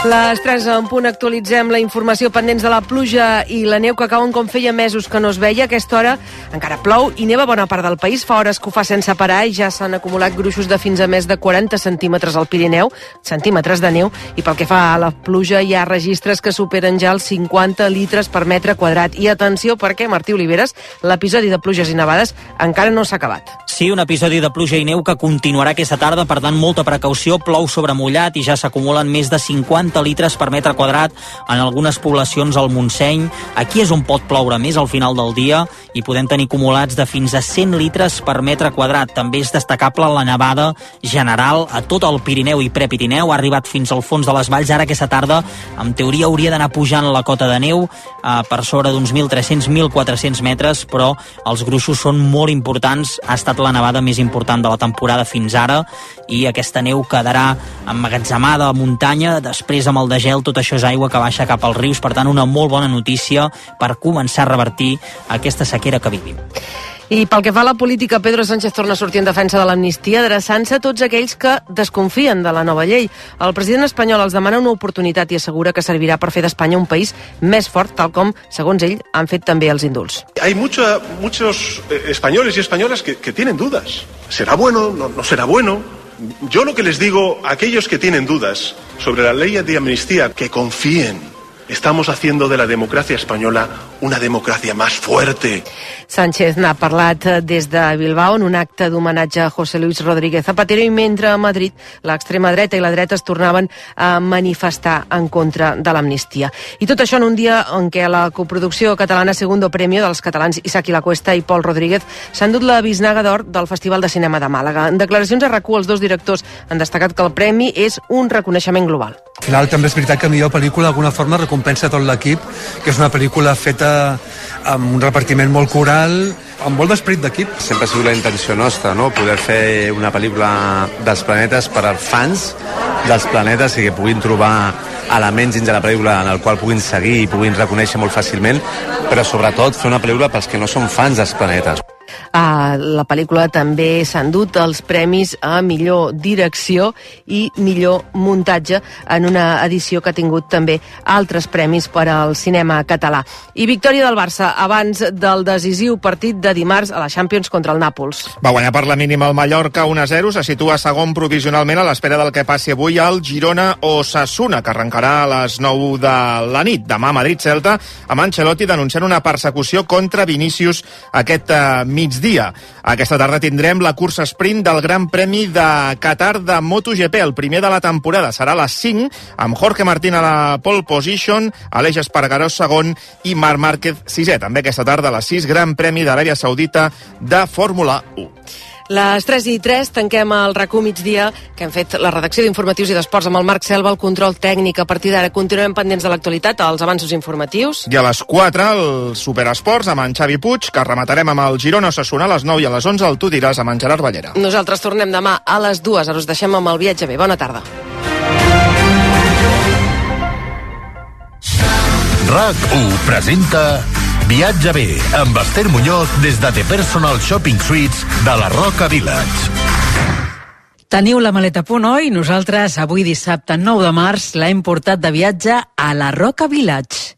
Les 3 en punt actualitzem la informació pendents de la pluja i la neu que cauen com feia mesos que no es veia. A aquesta hora encara plou i neva bona part del país. Fa hores que ho fa sense parar i ja s'han acumulat gruixos de fins a més de 40 centímetres al Pirineu, centímetres de neu, i pel que fa a la pluja hi ha registres que superen ja els 50 litres per metre quadrat. I atenció perquè, Martí Oliveres, l'episodi de pluges i nevades encara no s'ha acabat. Sí, un episodi de pluja i neu que continuarà aquesta tarda, per tant, molta precaució, plou sobre mullat i ja s'acumulen més de 50 litres per metre quadrat en algunes poblacions al Montseny. Aquí és on pot ploure més al final del dia i podem tenir acumulats de fins a 100 litres per metre quadrat. També és destacable la nevada general a tot el Pirineu i Prepirineu. Ha arribat fins al fons de les valls. Ara aquesta tarda, en teoria, hauria d'anar pujant la cota de neu per sobre d'uns 1.300-1.400 metres, però els gruixos són molt importants. Ha estat la nevada més important de la temporada fins ara i aquesta neu quedarà emmagatzemada a muntanya. Després, amb el degel, tot això és aigua que baixa cap als rius. Per tant, una molt bona notícia per començar a revertir aquesta sequera que vivim. I pel que fa a la política, Pedro Sánchez torna a sortir en defensa de l'amnistia, adreçant-se a tots aquells que desconfien de la nova llei. El president espanyol els demana una oportunitat i assegura que servirà per fer d'Espanya un país més fort, tal com, segons ell, han fet també els indults. Hay muchos españoles y españolas que tienen dudas. ¿Será bueno? ¿No será bueno? Yo lo que les digo a aquellos que tienen dudas sobre la ley de amnistía, que confíen. Estamos haciendo de la democracia española una democracia más fuerte. Sánchez n'ha parlat des de Bilbao en un acte d'homenatge a José Luis Rodríguez Zapatero i mentre a Madrid l'extrema dreta i la dreta es tornaven a manifestar en contra de l'amnistia. I tot això en un dia en què la coproducció catalana Segundo Premio dels catalans Isaac i la Cuesta i Pol Rodríguez s'han dut la bisnaga d'or del Festival de Cinema de Màlaga. En declaracions a RAC1, els dos directors han destacat que el premi és un reconeixement global. Al final també és veritat que millor pel·lícula d'alguna forma recompensa tot l'equip, que és una pel·lícula feta amb un repartiment molt coral, amb molt d'esperit d'equip. Sempre ha sigut la intenció nostra, no? Poder fer una pel·lícula dels planetes per als fans dels planetes i que puguin trobar elements dins de la pel·lícula en el qual puguin seguir i puguin reconèixer molt fàcilment, però sobretot fer una pel·lícula pels que no són fans dels planetes. A la pel·lícula també s'han dut els premis a millor direcció i millor muntatge en una edició que ha tingut també altres premis per al cinema català. I victòria del Barça abans del decisiu partit de dimarts a la Champions contra el Nàpols. Va guanyar per la mínima el Mallorca 1-0, se situa segon provisionalment a l'espera del que passi avui al Girona-Osasuna, que arrencarà a les 9 de la nit. Demà a Madrid-Celta, amb Ancelotti denunciant una persecució contra Vinícius aquest migdia. Aquesta tarda tindrem la cursa sprint del Gran Premi de Qatar de MotoGP, el primer de la temporada. Serà a les 5, amb Jorge Martín a la pole position, Aleix Espargaró segon i Marc Márquez sisè. També aquesta tarda a les 6, Gran Premi d'Aràbia Saudita de Fórmula 1. Les 3:03 tanquem el RAC1 migdia, que hem fet la redacció d'informatius i d'esports amb el Marc Selva, el control tècnic. A partir d'ara continuem pendents de l'actualitat, els avanços informatius. I a les 4, el Superesports amb en Xavi Puig, que rematarem amb el Girona-Osasuna a les 9 i a les 11 el Tu diràs amb en Gerard Ballera. Nosaltres tornem demà a les 2, ara us deixem amb el viatge bé. Bona tarda. RAC1 presenta Viatge bé, amb Esther Muñoz des de The Personal Shopping Suites de la Roca Village. Teniu la maleta a punt, oi? Nosaltres avui dissabte 9 de març l'hem portat de viatge a la Roca Village.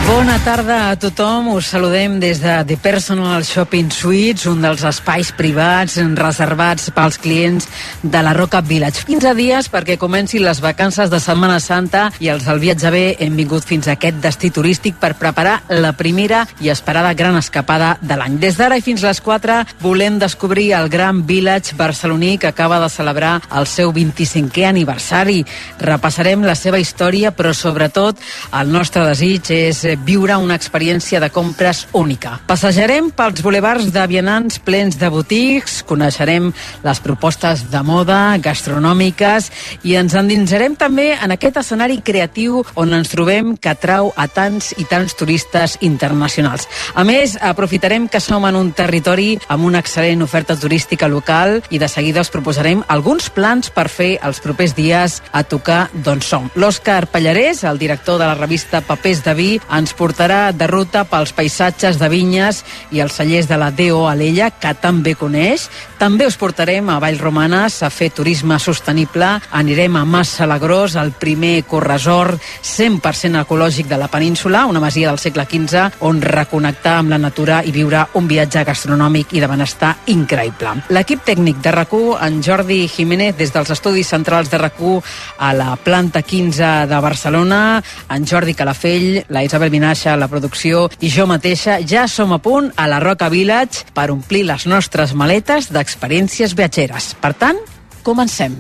Bona tarda a tothom, us saludem des de The Personal Shopping Suites, un dels espais privats reservats pels clients de la Roca Village. 15 dies perquè comencin les vacances de Setmana Santa i els del viatge bé hem vingut fins a aquest destí turístic per preparar la primera i esperada gran escapada de l'any. Des d'ara i fins les 4 volem descobrir el Gran Village barceloní que acaba de celebrar el seu 25è aniversari. Repassarem la seva història, però sobretot el nostre desig és viure viure una experiència de compres única. Passejarem pels bulevards de vianants plens de botics, coneixerem les propostes de moda, gastronòmiques, i ens endinsarem també en aquest escenari creatiu on ens trobem que atrau a tants i tants turistes internacionals. A més, aprofitarem que som en un territori amb una excel·lent oferta turística local i de seguida us proposarem alguns plans per fer els propers dies a tocar d'on som. L'Òscar Pallarès, el director de la revista Papers de Vi, ens portarà de ruta pels paisatges de vinyes i els cellers de la D.O. Alella, que també coneix. També us portarem a Vallromanes a fer turisme sostenible. Anirem a Mas Salagrós, el primer corresort 100% ecològic de la península, una masia del segle XV, on reconnectar amb la natura i viure un viatge gastronòmic i de benestar increïble. L'equip tècnic de RAC1, en Jordi Jiménez, des dels estudis centrals de RAC1 a la planta 15 de Barcelona, en Jordi Calafell, la Isabel Vinaixa a la producció i jo mateixa ja som a punt a la Roca Village per omplir les nostres maletes d'experiències viatgeres. Per tant, comencem.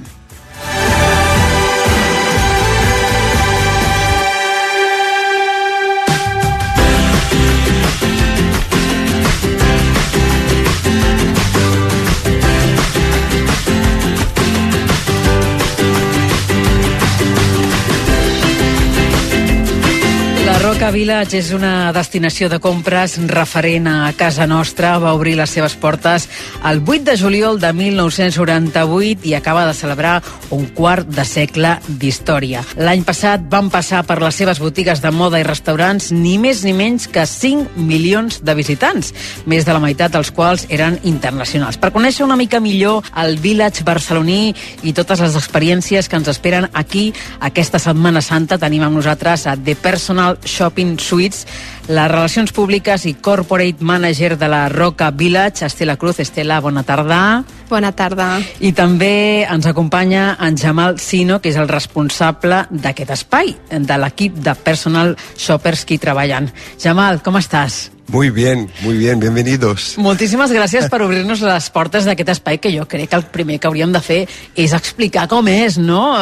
Roca Village és una destinació de compres referent a casa nostra. Va obrir les seves portes el 8 de juliol de 1998 i acaba de celebrar un quart de segle d'història. L'any passat van passar per les seves botigues de moda i restaurants ni més ni menys que 5 milions de visitants, més de la meitat dels quals eren internacionals. Per conèixer una mica millor el Village barceloní i totes les experiències que ens esperen aquí aquesta Setmana Santa, tenim amb nosaltres a The Personal Shopping Suites, les relacions públiques i corporate manager de la Roca Village, Estela Cruz. Estela, bona tarda. Bona tarda. I també ens acompanya en Jamal Sino, que és el responsable d'aquest espai, de l'equip de Personal Shoppers que hi treballen. Jamal, com estàs? Muy bien, bienvenidos. Moltíssimes gràcies per obrir-nos les portes d'aquest espai, que jo crec que el primer que hauríem de fer és explicar com és, no?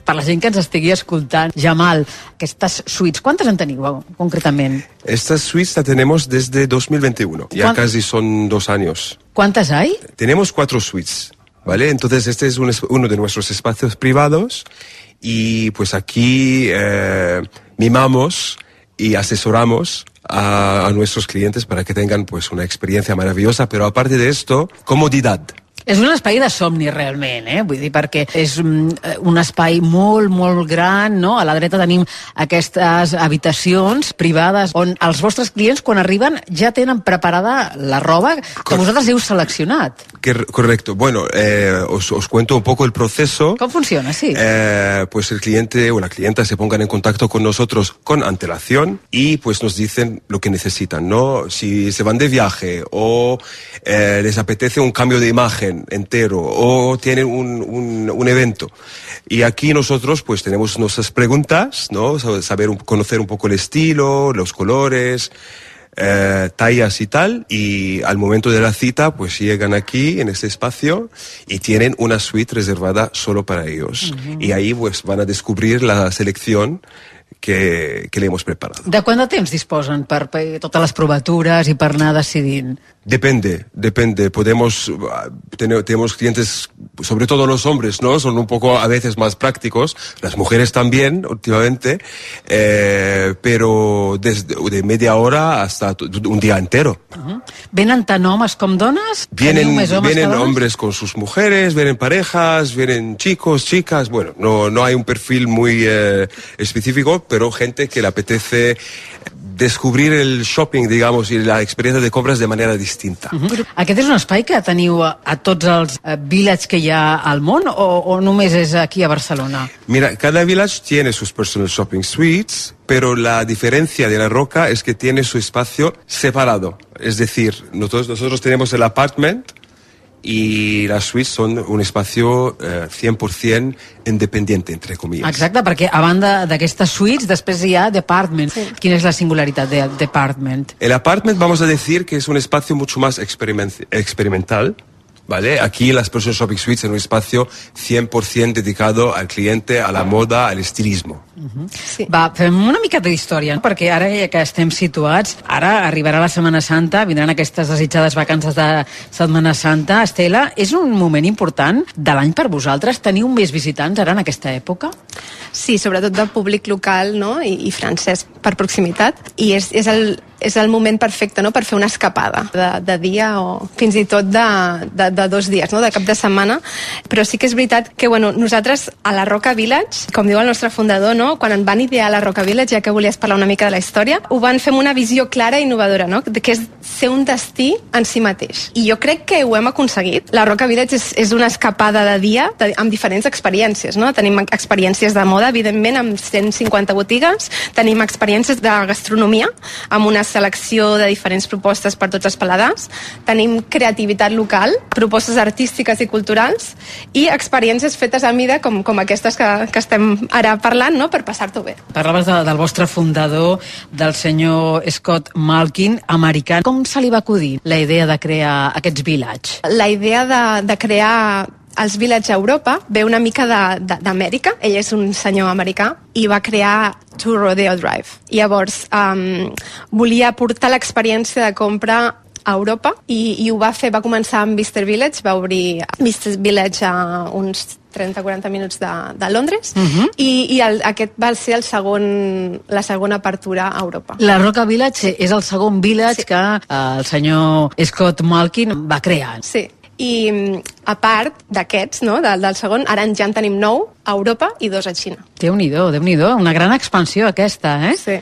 Per la gent que ens estigui escoltant. Jamal, aquestes suites, ¿cuántas en teniu concretament? Estas suites las tenemos desde 2021, ya casi son 2 años. ¿Cuántas hay? Tenemos 4 suites, ¿vale? Entonces este es uno de nuestros espacios privados y pues aquí mimamos y asesoramos a nuestros clientes para que tengan pues una experiencia maravillosa, pero aparte de esto, comodidad. És un espai de somni, realment, vull dir, perquè és un espai molt, molt gran, no? A la dreta tenim aquestes habitacions privades on els vostres clients, quan arriben, ja tenen preparada la roba que vosaltres heu seleccionat. Correcto. Bueno, os cuento un poco el proceso. ¿Cómo funciona? Sí. Pues el cliente o la clienta se pongan en contacto con nosotros con antelación y pues nos dicen lo que necesitan, ¿no? Si se van de viaje o les apetece un cambio de imagen entero o tienen un evento. Y aquí nosotros pues tenemos nuestras preguntas, ¿no? Conocer un poco el estilo, los colores, tallas y tal, y al momento de la cita pues llegan aquí en este espacio y tienen una suite reservada solo para ellos. Y ahí pues van a descubrir la selección que le hemos preparado. De quant de temps disposen per totes les provatures i per anar decidint? Depende. Tenemos clientes, sobre todo los hombres, ¿no? Son un poco a veces más prácticos, las mujeres también últimamente, pero de media hora hasta un día entero. ¿Venen tant homes com dones? Vienen hombres con sus mujeres, vienen parejas, vienen chicos, chicas, bueno, no hay un perfil muy específico, pero gente que le apetece descobrir el shopping, digamos, y la experiencia de compras de manera distinta. Aquest és un espai que teniu a tots els villages que hi ha al món o només és aquí a Barcelona? Mira, cada village tiene sus personal shopping suites, pero la diferencia de la Roca es que tiene su espacio separado. Es decir, nosotros tenemos el apartment i les suites són un espacio 100% independiente, entre comillas. Exacte, perquè a banda d'aquestes suites després hi ha department. Sí. Quina és la singularitat del department? El apartment vamos a decir que es un espacio mucho más experimental, ¿vale? Aquí las Personal Shopping Suites en un espacio 100% dedicado al cliente, a la moda, al estilismo. Sí. Va, fem una mica d'història, perquè ara ja que estem situats, ara arribarà la Setmana Santa, vindran aquestes desitjades vacances de Setmana Santa. Estela, és un moment important de l'any per vosaltres? Teniu més visitants ara en aquesta època? Sí, sobretot del públic local, no? I francès per proximitat. I és el moment perfecte, no?, per fer una escapada de dia o fins i tot de 2 dies, no?, de cap de setmana. Però sí que és veritat que, bueno, nosaltres a la Roca Village, com diu el nostre fundador, no?, quan en van idear la Roca Village, ja que volies parlar una mica de la història, ho van fer amb una visió clara i innovadora, no?, que és ser un destí en si mateix. I jo crec que ho hem aconseguit. La Roca Village és una escapada de dia amb diferents experiències, no? Tenim experiències de moda, evidentment, amb 150 botigues, tenim experiències de gastronomia, amb una selecció de diferents propostes per tots els paladars, tenim creativitat local, propostes artístiques i culturals i experiències fetes a mida com aquestes que estem ara parlant, no?, per passar-t'ho bé. Parlaves del vostre fundador, del senyor Scott Malkin, americà. Com se li va acudir la idea de crear aquests village? La idea de crear els Village a Europa ve una mica d'Amèrica. Ell és un senyor americà i va crear To Rodeo Drive. Llavors, volia portar l'experiència de compra a Europa i ho va fer, va començar amb Bicester Village, va obrir Bicester Village a uns 30-40 minuts de Londres i aquest va ser la segona apertura a Europa. La Roca Village és el segon village que el senyor Scott Malkin va crear. Sí, i a part d'aquests, no, del segon, ara ja en tenim 9 a Europa i 2 a Xina. Déu-n'hi-do, una gran expansió aquesta, eh? Sí.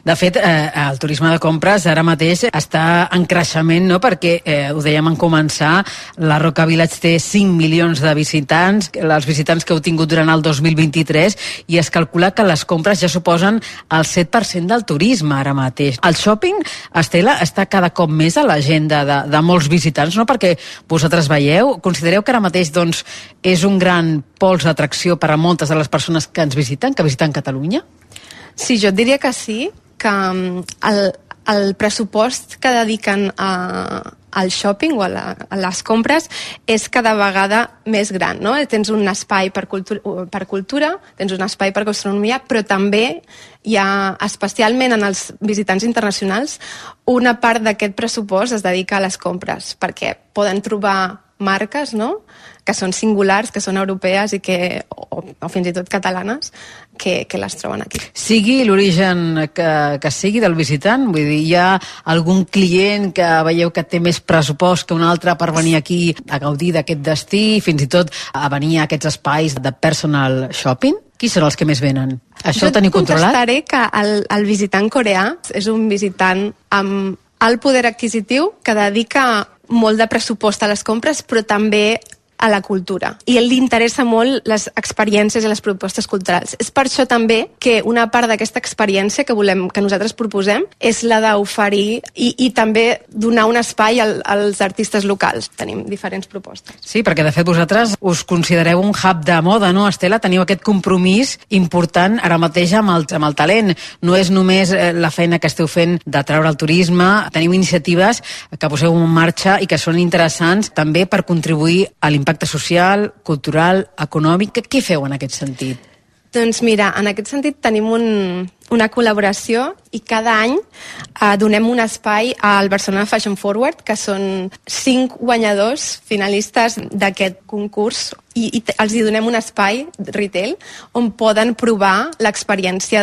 De fet, el turisme de compres ara mateix està en creixement, no?, perquè, ho dèiem en començar, la Roca Village té 5 milions de visitants, els visitants que heu tingut durant el 2023, i es calcula que les compres ja suposen el 7% del turisme ara mateix. El shopping, Estela, està cada cop més a l'agenda de molts visitants, no?, perquè vosaltres veieu, considereu que ara mateix doncs, és un gran pols d'atracció per a moltes de les persones que ens visiten, que visiten Catalunya? Sí, jo et diria que sí, que el pressupost que dediquen al shopping o a les compres és cada vegada més gran, no? Tens un espai per cultura, tens un espai per gastronomia, però també hi ha, especialment en els visitants internacionals, una part d'aquest pressupost es dedica a les compres, perquè poden trobar marques, no?, que són singulars, que són europees i o fins i tot catalanes, que les troben aquí. Sigui l'origen que sigui del visitant, vull dir, hi ha algun client que veieu que té més pressupost que un altre per venir aquí a gaudir d'aquest destí, fins i tot a venir a aquests espais de personal shopping? Qui són els que més venen? Això ho teniu controlat? Jo contestaré que el visitant coreà és un visitant amb alt poder adquisitiu que dedica molt de pressupost a les compres, però també a la cultura. I li interessa molt les experiències i les propostes culturals. És per això també que una part d'aquesta experiència que nosaltres proposem és la d'oferir i també donar un espai als artistes locals. Tenim diferents propostes. Sí, perquè de fet vosaltres us considereu un hub de moda, no, Estela? Teniu aquest compromís important ara mateix amb el talent. No és només la feina que esteu fent de treure el turisme, teniu iniciatives que poseu en marxa i que són interessants també per contribuir a l'impacte social, cultural, econòmic. Què feu en aquest sentit? Doncs mira, en aquest sentit tenim una col·laboració i cada any donem un espai al Barcelona Fashion Forward, que són 5 guanyadors finalistes d'aquest concurs i els hi donem un espai retail on poden provar l'experiència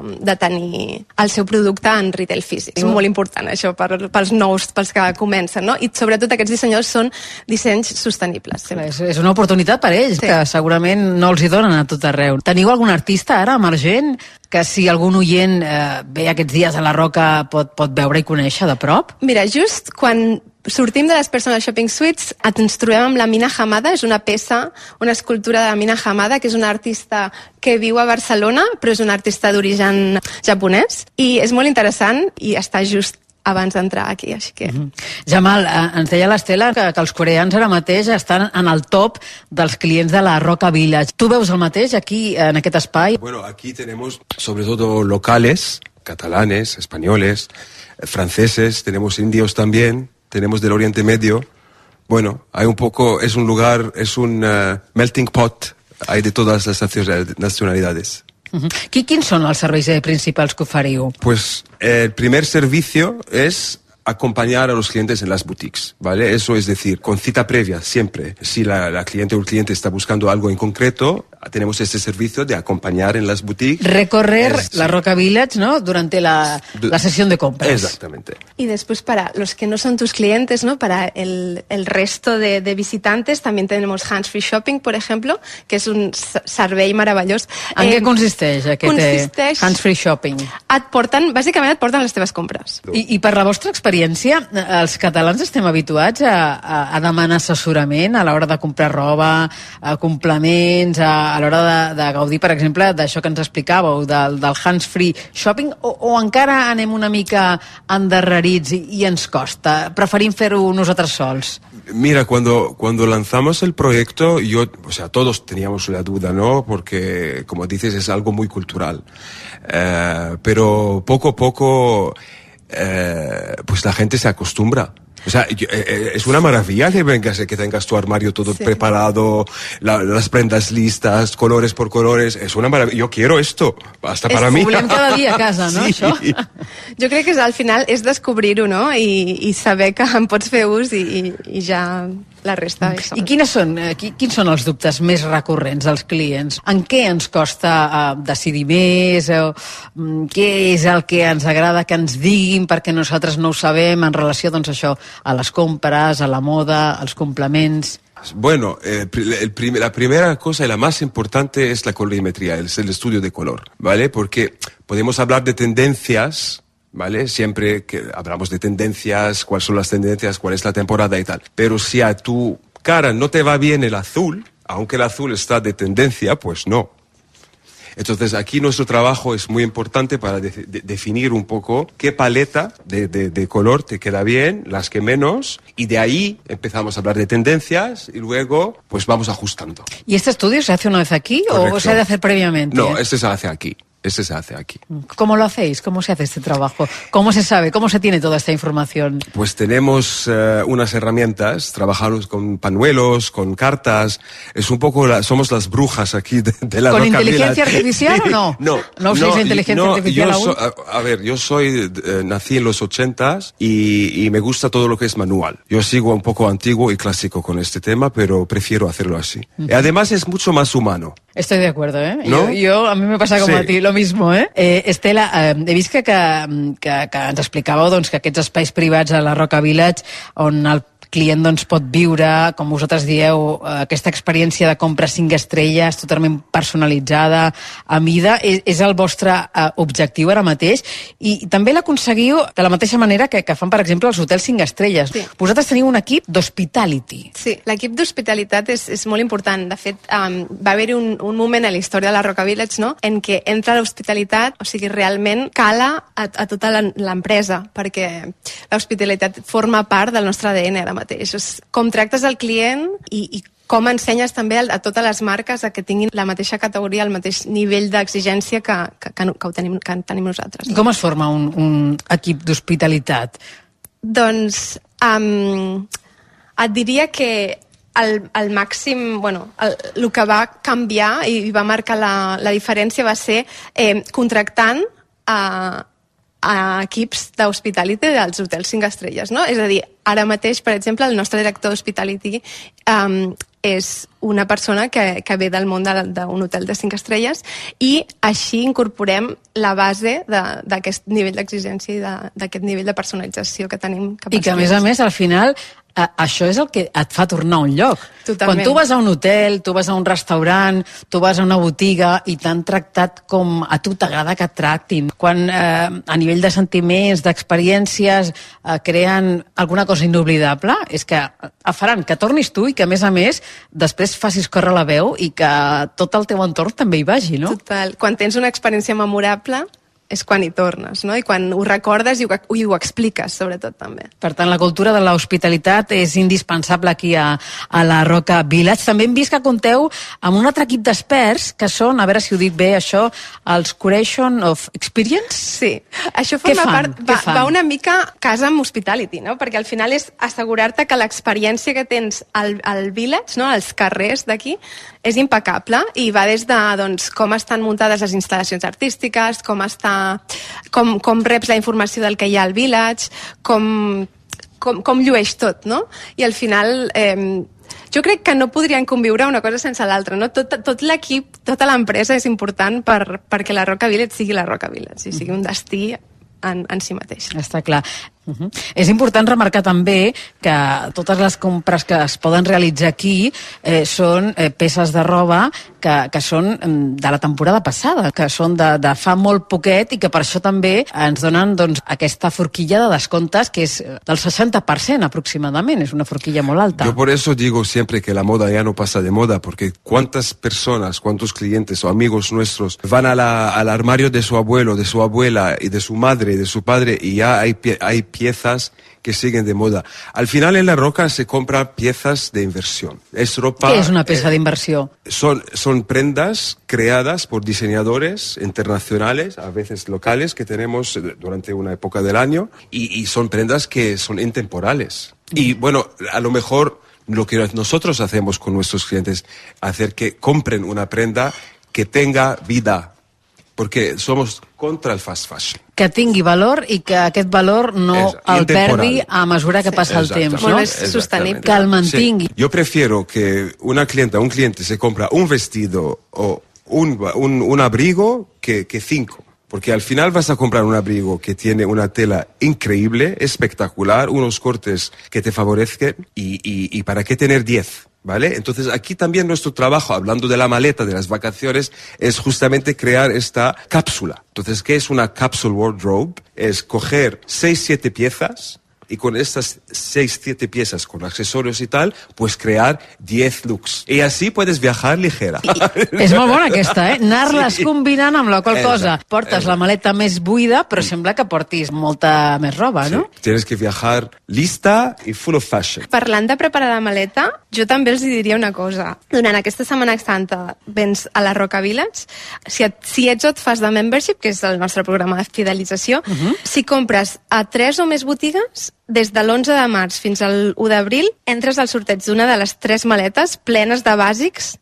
de tenir el seu producte en retail físic. És molt important això pels nous, pels que comencen, no? I sobretot aquests dissenyadors són dissenys sostenibles. És una oportunitat per ells, sí, que segurament no els hi donen a tot arreu. Teniu algun artista ara emergent que si algun oient ve aquests dies a la Roca pot veure i conèixer de prop? Mira, just quan sortim de les Personal Shopping Suites ens trobem amb la Mina Hamada, és una peça, una escultura de la Mina Hamada, que és una artista que viu a Barcelona, però és una artista d'origen japonès, i és molt interessant i està just abans d'entrar aquí, així que... Jamal, ens deia l'Estela que els coreans ara mateix estan en el top dels clients de la Roca Village. Tu veus el mateix aquí, en aquest espai? Bueno, aquí tenemos sobre todo locales, catalanes, españoles, franceses, tenemos indios también, tenemos del Oriente Medio, Bueno, hay un poco, es un lugar, es un melting pot, hay de todas las nacionalidades. Quins són els serveis principals que oferiu? Pues el primer servicio es acompañar a los clientes en las boutiques, ¿vale? Eso es decir, con cita previa, siempre. Si la cliente o el cliente está buscando algo en concreto, tenemos este servicio de acompañar en las boutiques. Recorrer la Roca Village, ¿no? Durante la sesión de compras. Exactamente. Y después para los que no son tus clientes, ¿no? Para el resto de visitantes también tenemos Hands Free Shopping, por ejemplo, que és un servei meravellós. En què consisteix aquest Hands Free Shopping? Bàsicament et porten les teves compres. I per la vostra experiència, els catalans estem habituats a demanar assessorament a l'hora de comprar roba, a complements, a l'hora de gaudir, per exemple, d'això que ens explicàveu, del Hands Free Shopping, o encara anem una mica endarrerits i ens costa? Preferim fer-ho nosaltres sols? Mira, cuando lanzamos el proyecto, todos teníamos la duda, ¿no? Porque, como dices, es algo muy cultural. Pero poco a poco, pues la gente se acostumbra. O sea, es una maravilla que tengas tu armario todo preparado, las prendas listas, colores por colores. Es una maravilla. Yo quiero esto, hasta para mí. Ho volem cada dia a casa, no, sí. Això? Jo crec que al final és descobrir-ho, no? I saber que en pots fer ús i ja la resta és... I quins són els dubtes més recurrents dels clients? En què ens costa decidir més? Què és el que ens agrada que ens diguin perquè nosaltres no ho sabem en relació, doncs, això, a les compres, a la moda, als complements? Bueno, la primera cosa y la más importante es la colorimetría, es el estudio de color, ¿vale? Porque podemos hablar de tendencias, ¿vale? Siempre que hablamos de tendencias, cuáles son las tendencias, cuál es la temporada y tal. Pero si a tu cara no te va bien el azul, aunque el azul está de tendencia, pues no. Entonces aquí nuestro trabajo es muy importante para definir un poco qué paleta de color te queda bien, las que menos, y de ahí empezamos a hablar de tendencias y luego pues vamos ajustando. ¿Y este estudio se hace una vez aquí? Correcto. ¿O se ha de hacer previamente? No, este se hace aquí. Este se hace aquí. ¿Cómo lo hacéis? ¿Cómo se hace este trabajo? ¿Cómo se sabe? ¿Cómo se tiene toda esta información? Pues tenemos unas herramientas, trabajamos con pañuelos, con cartas, es un poco, somos las brujas aquí de la Roca Village. ¿Con inteligencia artificial o no? No. ¿No usáis inteligencia artificial aún? Yo nací en los 80s y me gusta todo lo que es manual. Yo sigo un poco antiguo y clásico con este tema, pero prefiero hacerlo así. Y además es mucho más humano. Estoy de acuerdo, ¿eh? ¿No? A mí me pasa com a ti, lo mismo, ¿eh? Estela, he vist que ens explicàveu doncs, que aquests espais privats a la Roca Village on el client doncs, pot viure, com vosaltres dieu, aquesta experiència de compra 5 estrelles totalment personalitzada, a mida, és el vostre objectiu ara mateix, i també l'aconseguiu de la mateixa manera que fan, per exemple, els hotels 5 estrelles. Sí. Vosaltres teniu un equip d'hospitality. Sí, l'equip d'hospitalitat és molt important. De fet, va haver-hi un moment a la història de la Roca Village, no?, en què entra l'hospitalitat, o sigui, realment cala a tota l'empresa, perquè l'hospitalitat forma part del nostre ADN ara mateix. Com tractes el client i com ensenyes també a totes les marques que tinguin la mateixa categoria, el mateix nivell d'exigència que tenim nosaltres. Com es forma un equip d'hospitalitat? Doncs et diria que el màxim, el que va canviar i va marcar la diferència va ser contractant a equips d'hospitality dels hotels 5 estrelles, no? És a dir, ara mateix, per exemple, el nostre director d'hospitality és una persona que ve del món d'un hotel de 5 estrelles i així incorporem la base d'aquest nivell d'exigència i d'aquest nivell de personalització que tenim. I que, a més, al final, això és el que et fa tornar a un lloc. Totalment. Quan tu vas a un hotel, tu vas a un restaurant, tu vas a una botiga i t'han tractat com a tu t'agrada que et tractin. Quan a nivell de sentiments, d'experiències, creen alguna cosa inoblidable, és que faran que tornis tu i que, a més, després facis córrer la veu i que tot el teu entorn també hi vagi, no? Total. Quan tens una experiència memorable, és quan hi tornes, no? I quan ho recordes i ho expliques, sobretot, també. Per tant, la cultura de l'hospitalitat és indispensable aquí a la Roca Village. També hem vist que compteu amb un altre equip d'experts que són, a veure si ho dic bé, això, els Curation of Experience? Sí, això forma part, va una mica casa amb hospitality, no? Perquè al final és assegurar-te que l'experiència que tens al village, no? Als carrers d'aquí, és impecable i va des de doncs, com estan muntades les instal·lacions artístiques, com reps la informació del que hi ha al village, com llueix tot, no? I al final jo crec que no podrien conviure una cosa sense l'altra, no? Tot l'equip, tota l'empresa és important perquè la Roca Village sigui la Roca Village i sigui un destí en si mateix. Està clar. És important remarcar també que totes les compres que es poden realitzar aquí són peces de roba que són de la temporada passada, que són de fa molt poquet i que per això també ens donen doncs, aquesta forquilla de descomptes que és del 60% aproximadament, és una forquilla molt alta. Yo por eso digo siempre que la moda ya no pasa de moda, porque cuántas personas, cuántos clientes o amigos nuestros van al armario de su abuelo, de su abuela y de su madre y de su padre y ya hay piezas que siguen de moda. Al final en La Roca se compran piezas de inversión. Es ropa... ¿Qué es una pieza de inversión? Son prendas creadas por diseñadores internacionales, a veces locales, que tenemos durante una época del año, y son prendas que son intemporales. Y bueno, a lo mejor lo que nosotros hacemos con nuestros clientes, hacer que compren una prenda que tenga vida, porque somos contra el fast fashion. Que tingui valor i que aquest valor no el perdi a mesura que passa el temps, no? És sostenible. Que el mantingui. Sí. Yo prefiero que un cliente se compra un vestido o un abrigo que 5. Porque al final vas a comprar un abrigo que tiene una tela increíble, espectacular, unos cortes que te favorezcan y ¿para qué tener 10? ¿Vale? Entonces aquí también nuestro trabajo, hablando de la maleta, de las vacaciones, es justamente crear esta cápsula. Entonces, ¿qué es una capsule wardrobe? Es coger 6-7 piezas y con estas 6-7 piezas con accesorios y tal, pues crear 10 looks. Y así puedes viajar ligera. És molt bona aquesta, anar-les combinant amb la qual cosa portes la maleta més buida, però sembla que portis molta més roba, no? Sí. Tienes que viajar lista i full of fashion. Parlant de preparar la maleta, jo també els diria una cosa. Durant aquesta Setmana Santa vens a la Roca Village, si ets o et fas de membership, que és el nostre programa de fidelització, si compres a 3 o més botigues, des de l'11 de març fins al 1 d'abril entres al sorteig d'una de les 3 maletes plenes de bàsics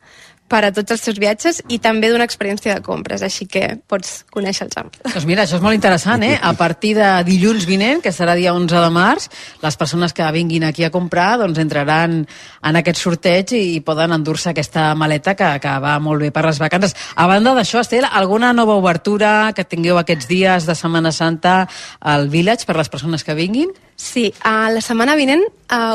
per a tots els teus viatges i també d'una experiència de compres, així que pots conèixer els amos. Doncs mira, això és molt interessant, eh? A partir de dilluns vinent, que serà dia 11 de març, les persones que vinguin aquí a comprar doncs entraran en aquest sorteig i poden endur-se aquesta maleta que va molt bé per les vacances. A banda d'això, Estel, alguna nova obertura que tingueu aquests dies de Setmana Santa al Village per les persones que vinguin? Sí, la setmana vinent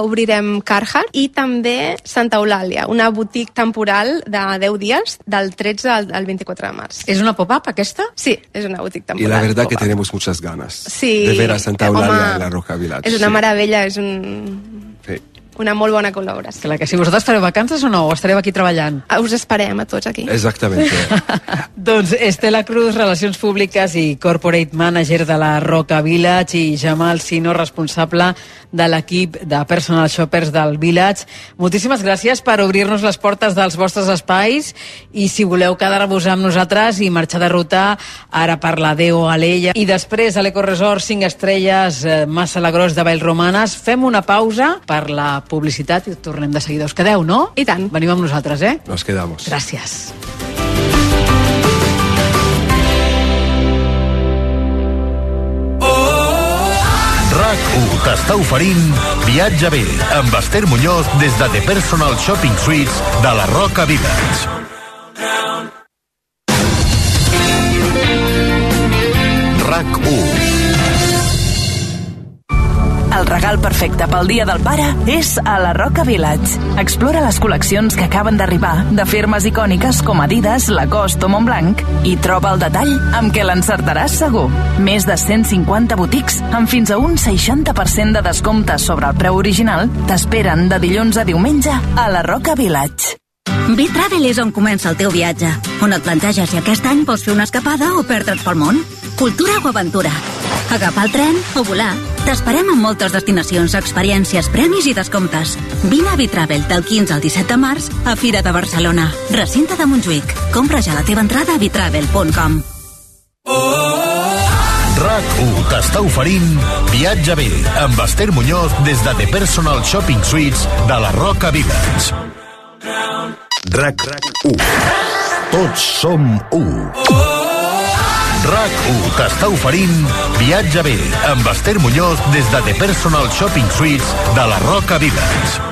obrirem Carhartt i també Santa Eulàlia, una boutique temporal de 10 dies, del 13 al 24 de març. ¿Es una pop-up aquesta? Sí, es una boutique temporal. Y la verdad que tenemos muchas ganas de ver a Santa Eulàlia en la Roca Village. És una meravella, és una molt bona col·laboració. Clar que si vosaltres fareu vacances o no, o estareu aquí treballant? Us esperem a tots aquí. Exactamente. Doncs Estela Cruz, Relacions Públiques i Corporate Manager de la Roca Village, i Jamal Sino, responsable de l'equip de Personal Shoppers del Village. Moltíssimes gràcies per obrir-nos les portes dels vostres espais, i si voleu quedar-vos amb nosaltres i marxar de ruta ara per la Deo Alella i després a l'Ecoresort 5 estrelles Massa Lagrós de Vallromanes, fem una pausa per la publicitat i tornem de seguida. Us quedeu, no? I tant. Veniu amb nosaltres, eh? Nos quedamos. Gràcies. RAC1 t'està oferint Viatge bé amb Esther Muñoz des de The Personal Shopping Suites de la Roca Village. RAC1. El regal perfecte pel Dia del Pare és a la Roca Village. Explora les col·leccions que acaben d'arribar de firmes icòniques com Adidas, Lacoste o Montblanc i troba el detall amb què l'encertaràs segur. Més de 150 botics amb fins a un 60% de descompte sobre el preu original t'esperen de dilluns a diumenge a la Roca Village. B-Travel és on comença el teu viatge, on et planteges si aquest any vols fer una escapada o perdre't pel món. cultura o aventura. Agafar el tren o volar. T'esperem en moltes destinacions, experiències, premis i descomptes. Vine a Vitravel del 15 al 17 de març a Fira de Barcelona, recinte de Montjuïc. Compra ja la teva entrada a vitravel.com. RAC1 t'està oferint Viatge bé amb Esther Muñoz des de The Personal Shopping Suites de la Roca Village. RAC1. Tots som u. RAC1 t'està oferint Viatge bé amb Esther Muñoz des de The Personal Shopping Suites de la Roca Village.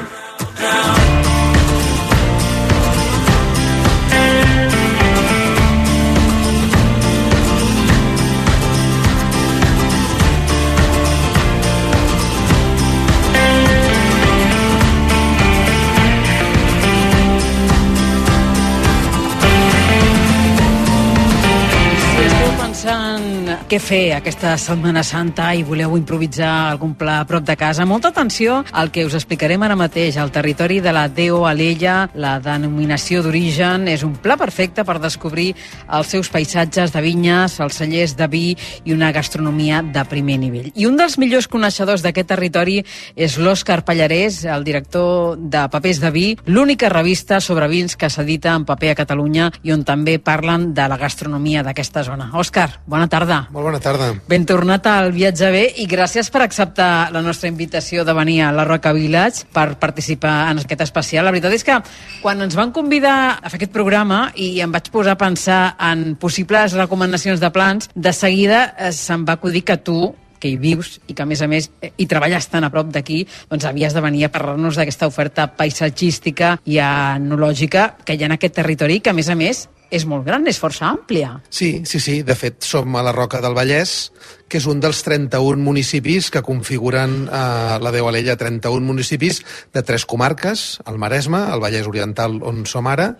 Què fer aquesta Setmana Santa i voleu improvisar algun pla a prop de casa? Molta atenció al que us explicarem ara mateix. El territori de la Deo Alella, la denominació d'origen, és un pla perfecte per descobrir els seus paisatges de vinyes, els cellers de vi i una gastronomia de primer nivell. I un dels millors coneixedors d'aquest territori és l'Òscar Pallarès, el director de Papers de Vi, l'única revista sobre vins que s'edita en paper a Catalunya i on també parlen de la gastronomia d'aquesta zona. Òscar, bona tarda. Molt bona tarda. Ben tornat al Viatge bé i gràcies per acceptar la nostra invitació de venir a la Roca Village per participar en aquest especial. La veritat és que quan ens van convidar a fer aquest programa i em vaig posar a pensar en possibles recomanacions de plans, de seguida se'm va acudir que tu, que hi vius i que a més hi treballes tan a prop d'aquí, doncs havies de venir a parlar-nos d'aquesta oferta paisatgística i enològica que hi ha en aquest territori, que a més és molt gran, és força àmplia. Sí. De fet, som a la Roca del Vallès, que és un dels 31 municipis que configuren la Deo Alella, 31 municipis de 3 comarques, el Maresme, el Vallès Oriental, on som ara,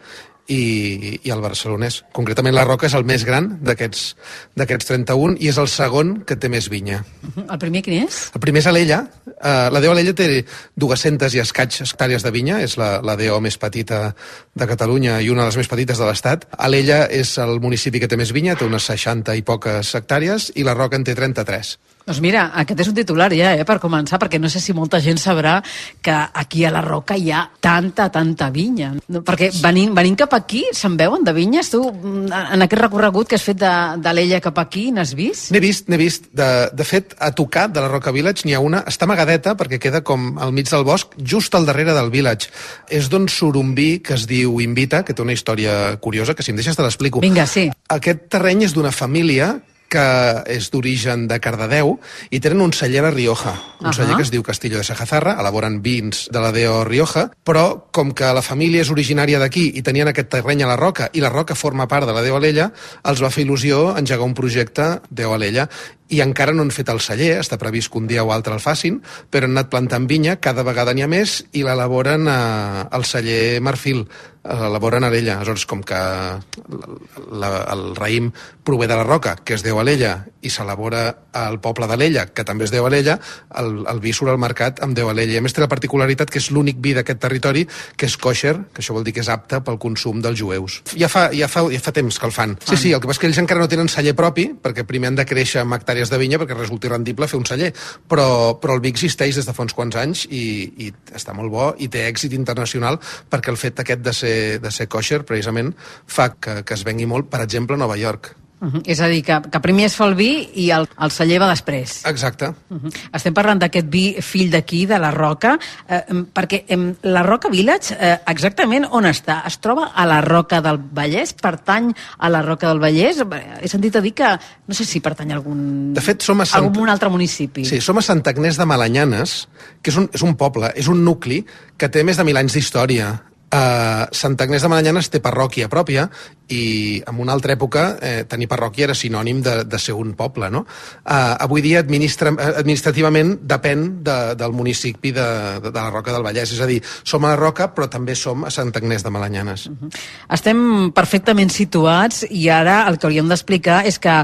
i el barcelonès. Concretament la Roca és el més gran d'aquests 31 i és el segon que té més vinya. El primer quin és? El primer és Alella. La Deo Alella té 200 i escaig hectàrees de vinya, és la Deo més petita de Catalunya i una de les més petites de l'Estat. Alella és el municipi que té més vinya, té unes 60 i poques hectàrees, i la Roca en té 33. Doncs mira, aquest és un titular ja, per començar, perquè no sé si molta gent sabrà que aquí a la Roca hi ha tanta vinya. Perquè venint cap aquí, se'n veuen de vinyes? Tu, en aquest recorregut que has fet d'Alella cap aquí, n'has vist? N'he vist. De fet, a tocar de la Roca Village n'hi ha una, està amagadeta perquè queda com al mig del bosc, just al darrere del village. És d'un surumbí que es diu Invita, que té una història curiosa, que si em deixes te l'explico. Vinga, sí. Aquest terreny és d'una família que és d'origen de Cardedeu i tenen un celler a Rioja, un celler que es diu Castillo de Sajazarra, elaboren vins de la Deo Rioja, però com que la família és originària d'aquí i tenien aquest terreny a la Roca i la Roca forma part de la Deo Alella, els va fer il·lusió engegar un projecte Deo Alella i encara no han fet el celler, està previst que un dia o altre el facin, però han anat plantant vinya, cada vegada n'hi ha més i l'elaboren al celler Marfil, l'elaboren a Alella. Aleshores, com que el raïm prové de la Roca, que és Deo Alella, i s'elabora al poble d'Alella, que també és Deo Alella, el vi surt al mercat amb Deo Alella. I a més té la particularitat que és l'únic vi d'aquest territori que és kosher, que això vol dir que és apte pel consum dels jueus. Ja fa temps que el fan. Sí, el que passa és que ells encara no tenen celler propi, perquè primer han de créixer amb hectàrees de vinya perquè resulti rendible fer un celler, però el vi existeix des de fa uns quants anys i està molt bo i té èxit internacional perquè el fet aquest de ser kosher precisament fa que es vengui molt, per exemple, a Nova York. És a dir, que primer es fa el vi i el celler va després. Exacte. Estem parlant d'aquest vi fill d'aquí, de la Roca, perquè la Roca Village, exactament on està? Es troba a la Roca del Vallès? Pertany a la Roca del Vallès? He sentit a dir que, no sé si pertany a algun... De fet, som a algun altre municipi. Sí, som a Sant Agnès de Malanyanes, que és un poble, és un nucli que té més de 1.000 anys d'història. Sant Agnès de Malanyanes té parròquia pròpia i en una altra època tenir parròquia era sinònim de ser un poble, no? Avui dia administrativament depèn del municipi de la Roca del Vallès, és a dir, som a la Roca però també som a Sant Agnès de Malanyanes. Estem perfectament situats i ara el que hauríem d'explicar és que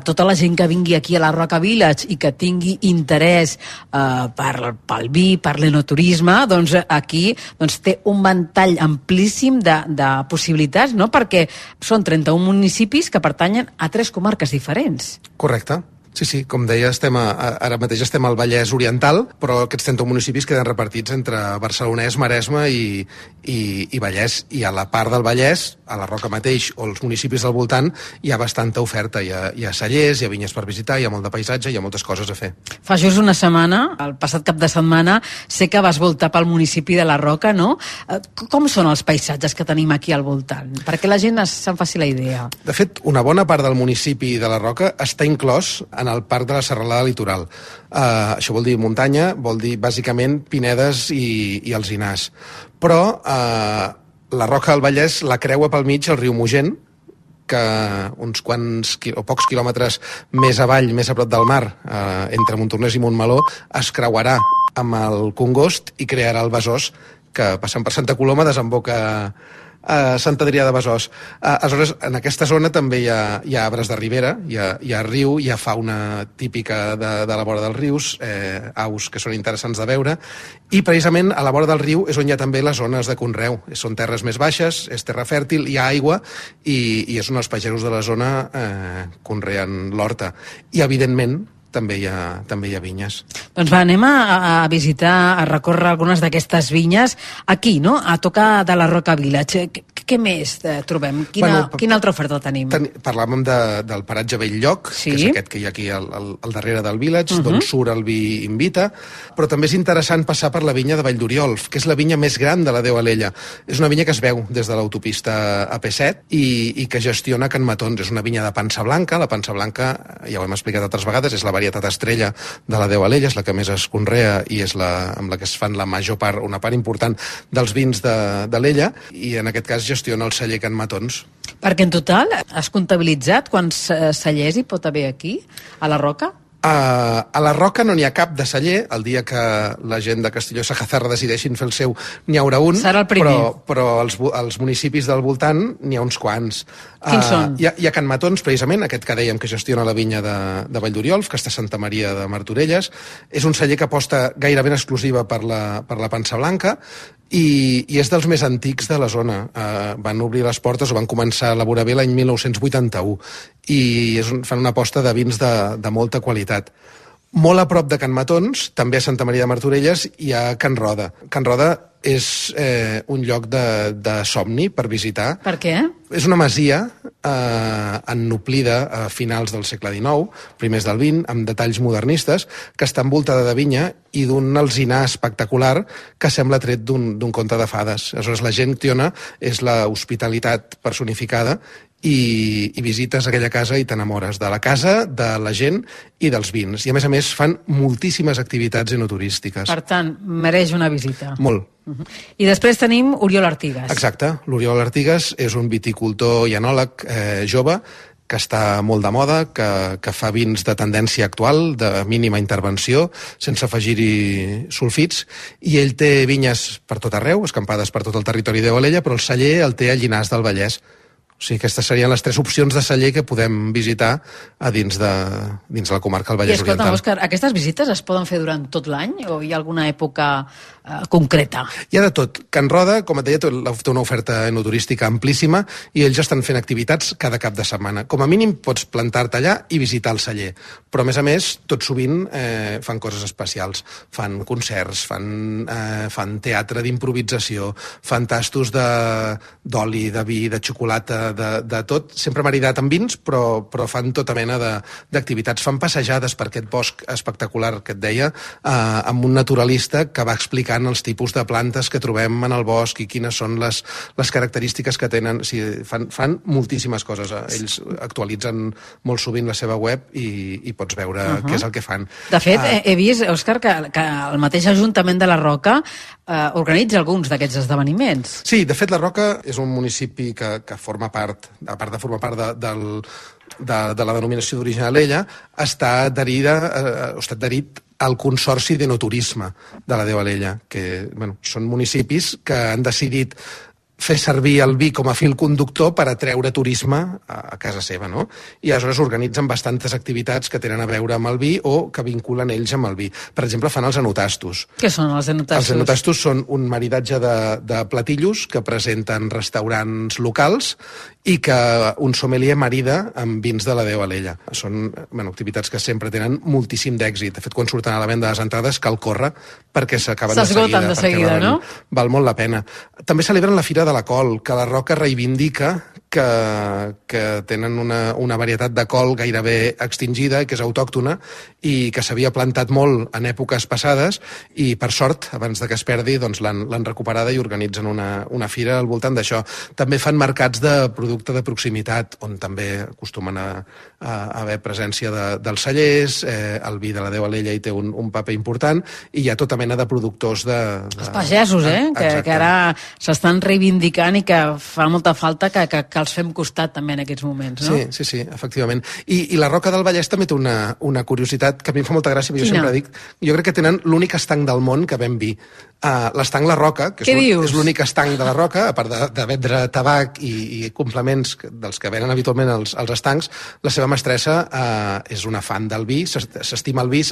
tota la gent que vingui aquí a la Roca Village i que tingui interès pel vi, per l'enoturisme, doncs aquí té un ventall amplíssim de possibilitats, no? Perquè Són 31 municipis que pertanyen a 3 comarques diferents. Correcte. Sí, com deia, ara mateix estem al Vallès Oriental, però aquests 31 municipis queden repartits entre Barcelonès, Maresme i Vallès. I a la part del Vallès, a la Roca mateix, o els municipis del voltant, hi ha bastanta oferta. Hi ha cellers, hi ha vinyes per visitar, hi ha molt de paisatge, hi ha moltes coses a fer. Fa just una setmana, el passat cap de setmana, sé que vas voltar pel municipi de la Roca, no? Com són els paisatges que tenim aquí al voltant? Perquè la gent se'n faci la idea. De fet, una bona part del municipi de la Roca està inclòs en el Parc de la Serralada Litoral. Això vol dir muntanya, vol dir bàsicament pinedes i alzinars. Però la Roca del Vallès la creua pel mig el riu Mogent, que uns quants o pocs quilòmetres més avall, més a prop del mar, entre Montornès i Montmeló, es creuarà amb el Congost i crearà el Besòs, que passant per Santa Coloma desemboca a Sant Adrià de Besòs. Aleshores, en aquesta zona també hi ha arbres de ribera, hi ha riu, hi ha fauna típica de la vora dels rius, aus que són interessants de veure, i precisament a la vora del riu és on hi ha també les zones de conreu. Són terres més baixes, és terra fèrtil, hi ha aigua, i és on els pagesos de la zona conreen l'horta. I, evidentment, també hi ha vinyes. Doncs va, anem a visitar, a recórrer algunes d'aquestes vinyes aquí, no? A tocar de la Roca Village. Què més trobem? Quina altra oferta tenim? Parlàvem del paratge Bell-lloc, que és aquest que hi ha aquí al darrere del Village, d'on surt el vi Invita, però també és interessant passar per la vinya de Vall d'Oriol, que és la vinya més gran de la Déu Alella. És una vinya que es veu des de l'autopista AP7 i que gestiona Can Matons. És una vinya de pansa blanca. La pansa blanca, ja ho hem explicat altres vegades, és la varietat estrella de la Déu Alella, és la que més es conrea i és amb la que es fan la major part, una part important dels vins de l'Ella, i en aquest cas gestiona el celler Can Matons. Perquè en total has comptabilitzat quants cellers hi pot haver aquí, a la Roca? A la Roca no n'hi ha cap de celler. El dia que la gent de Castelló i Sajazarra decideixin fer el seu, n'hi haurà un. Serà el primer. Però als municipis del voltant n'hi ha uns quants. Quins són? Hi ha Can Matons, precisament, aquest que dèiem que gestiona la vinya de Vall d'Oriol, que està a Santa Maria de Martorelles. És un celler que aposta gairebé en exclusiva per la pansa blanca, i és dels més antics de la zona. Van obrir les portes o van començar a elaborar bé l'any 1981, i fan una aposta de vins de molta qualitat. Molt a prop de Can Matons, també a Santa Maria de Martorelles, hi ha Can Roda. Can Roda és un lloc de somni per visitar. Per què? És una masia ennoblida a finals del segle XIX, primers del XX, amb detalls modernistes, que està envoltada de vinya i d'un alzinar espectacular que sembla tret d'un conte de fades. Aleshores, la gent tiona és la hospitalitat personificada, i visites aquella casa i t'enamores de la casa, de la gent i dels vins. I a més fan moltíssimes activitats enoturístiques. Per tant, mereix una visita. Molt. I després tenim Oriol Artigas. Exacte. L'Oriol Artigas és un viticultor i enòleg jove que està molt de moda, que fa vins de tendència actual, de mínima intervenció, sense afegir-hi sulfits, i ell té vinyes per tot arreu, escampades per tot el territori de Valella, però el celler el té a Llinars del Vallès. O sigui, aquestes serien les 3 opcions de celler que podem visitar a dins de la comarca del Vallès Oriental. I escolta, Òscar, aquestes visites es poden fer durant tot l'any o hi ha alguna època concreta? Hi ha de tot. Can Roda, com et deia, té una oferta enoturística amplíssima i ells estan fent activitats cada cap de setmana. Com a mínim pots plantar-te allà i visitar el celler. Però, a més, tot sovint fan coses especials. Fan concerts, fan teatre d'improvisació, fan tastos d'oli, de vi, de xocolata, de tot, sempre maridat amb vins, però fan tota mena d'activitats. Fan passejades per aquest bosc espectacular que et deia, amb un naturalista que va explicant els tipus de plantes que trobem en el bosc i quines són les característiques que tenen. O sigui, fan moltíssimes coses. Ells actualitzen molt sovint la seva web i pots veure què és el que fan. De fet, he vist, Òscar, que el mateix Ajuntament de la Roca organitza alguns d'aquests esdeveniments. Sí, de fet, la Roca és un municipi que forma part, a part de formar part de la denominació d'origen Alella, està adherit al Consorci d'Enoturisme de la Déu Alella, que són municipis que han decidit fer servir el vi com a fil conductor per atreure turisme a casa seva, no? I aleshores organitzen bastantes activitats que tenen a veure amb el vi o que vinculen ells amb el vi. Per exemple, fan els enotastos. Què són els enotastos? Els enotastos són un maridatge de platillos que presenten restaurants locals i que un sommelier marida amb vins de la Déu Alella. Són activitats que sempre tenen moltíssim d'èxit. De fet, quan surten a la venda les entrades cal córrer perquè s'acaben de seguida, no? Val molt la pena. També celebren la Fira de la Col, que la Roca reivindica que tenen una varietat de col gairebé extingida, que és autòctona i que s'havia plantat molt en èpoques passades i, per sort, abans de que es perdi, doncs l'han recuperada i organitzen una fira al voltant d'això. També fan mercats de producte de proximitat, on també acostumen a haver presència dels cellers, el vi de la Déu Alella hi té un paper important, i hi ha tota mena de productors els pagesos, que ara s'estan reivindicant i que fa molta falta que els fem costat també en aquests moments, no? Sí, efectivament. I la Roca del Vallès també té una curiositat que a mi em fa molta gràcia, perquè jo sempre dic, jo crec que tenen l'únic estanc del món que ven vi. L'estanc La Roca, que és l'únic estanc de la Roca, a part de vendre tabac i complements dels que venen habitualment als estancs, la seva mestressa és una fan del vi, s'estima el vi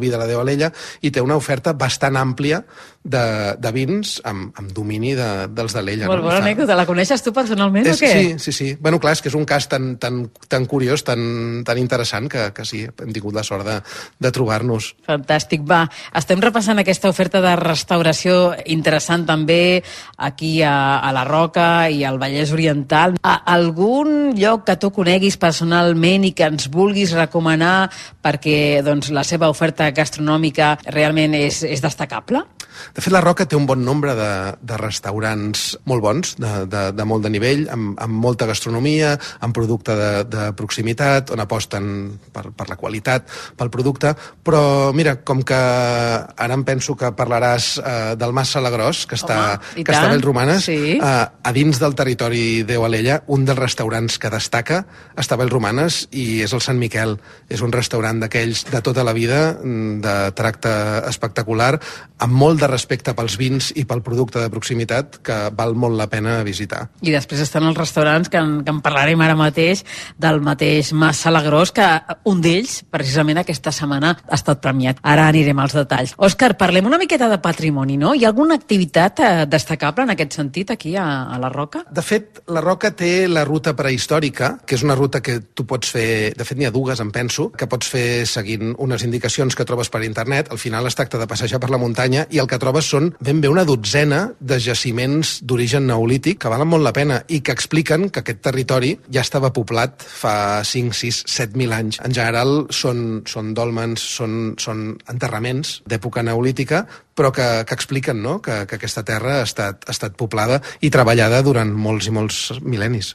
de la Déu Alella, i té una oferta bastant àmplia de vins amb domini dels d'Alella. Molt bona anècdota. La coneixes tu personalment o què? Sí. Bueno, clar, és que és un cas tan curiós, tan interessant, que sí, hem tingut la sort de trobar-nos. Fantàstic. Va, estem repassant aquesta oferta de restauració interessant també aquí a la Roca i al Vallès Oriental. Algun lloc que tu coneguis personalment i que ens vulguis recomanar perquè la seva oferta gastronòmica realment és destacable? De fet, la Roca té un bon nombre de restaurants molt bons, de molt de nivell, amb molta gastronomia, amb producte de proximitat, on aposten per la qualitat, pel producte, però mira, com que ara em penso que parlaràs del Mas Salagrós, que està a Vallromanes, a dins del territori Déu Alella, un dels restaurants que destaca està a Vallromanes i és el Sant Miquel. És un restaurant d'aquells de tota la vida, de tracte espectacular, amb molt de respecte pels vins i pel producte de proximitat, que val molt la pena visitar. I després estan els restaurants que en parlarem ara mateix, del mateix Mas Salagrós, que un d'ells, precisament aquesta setmana, ha estat premiat. Ara anirem als detalls. Òscar, parlem una miqueta de patrimoni, no? Hi ha alguna activitat destacable en aquest sentit aquí a la Roca? De fet, la Roca té la ruta prehistòrica, que és una ruta que tu pots fer, de fet n'hi ha dues, em penso, que pots fer seguint unes indicacions que trobes per internet. Al final es tracta de passejar per la muntanya i el que trobes són ben bé una dotzena de jaciments d'origen neolític que valen molt la pena i que expliquen que aquest territori ja estava poblat fa 5, 6, 7.000 anys. En general són dòlmens, són enterraments d'època neolítica, però que expliquen, no?, que aquesta terra ha estat poblada i treballada durant molts i molts mil·lennis.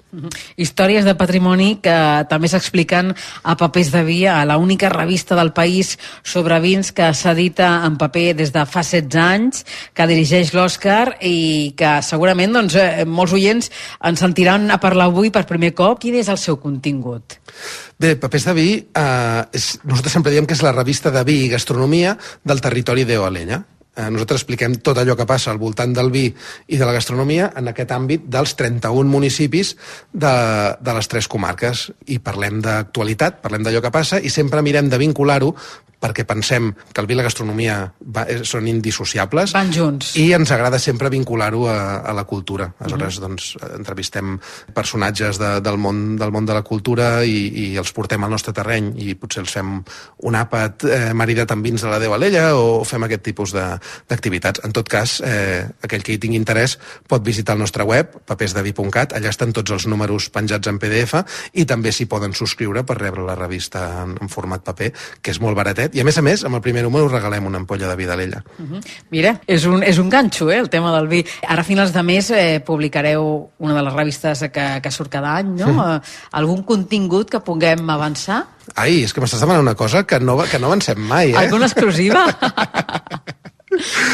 Històries de patrimoni que també s'expliquen a Papers de Vi, a l'única revista del país sobre vins que s'edita en paper des de fa 16 anys, que dirigeix l'Òscar i que segurament molts oients ens sentiran a parlar avui per primer cop. Quin és el seu contingut? Bé, Papers de Vi, nosaltres sempre diem que és la revista de vi i gastronomia del territori Déu Alella. Nosaltres expliquem tot allò que passa al voltant del vi i de la gastronomia en aquest àmbit dels 31 municipis de les 3 comarques. I parlem d'actualitat, parlem d'allò que passa i sempre mirem de vincular-ho perquè pensem que el vi i la gastronomia són indissociables. Van junts. I ens agrada sempre vincular-ho a la cultura. Aleshores, entrevistem personatges del món de la cultura i els portem al nostre terreny i potser els fem un àpat maridat amb vins de la Déu Alella o fem aquest tipus d'activitats. En tot cas, aquell que hi tingui interès pot visitar el nostre web, papersdevi.cat, allà estan tots els números penjats en PDF i també s'hi poden subscriure per rebre la revista en format paper, que és molt baratet. I a més, amb el primer número regalem una ampolla de vi d'Alella. Mira, és un ganxo, el tema del vi. Ara a finals de mes publicareu una de les revistes que surt cada any, no? Algun contingut que puguem avançar? Ai, és que m'estàs demanant una cosa que no avancem mai, Alguna exclusiva?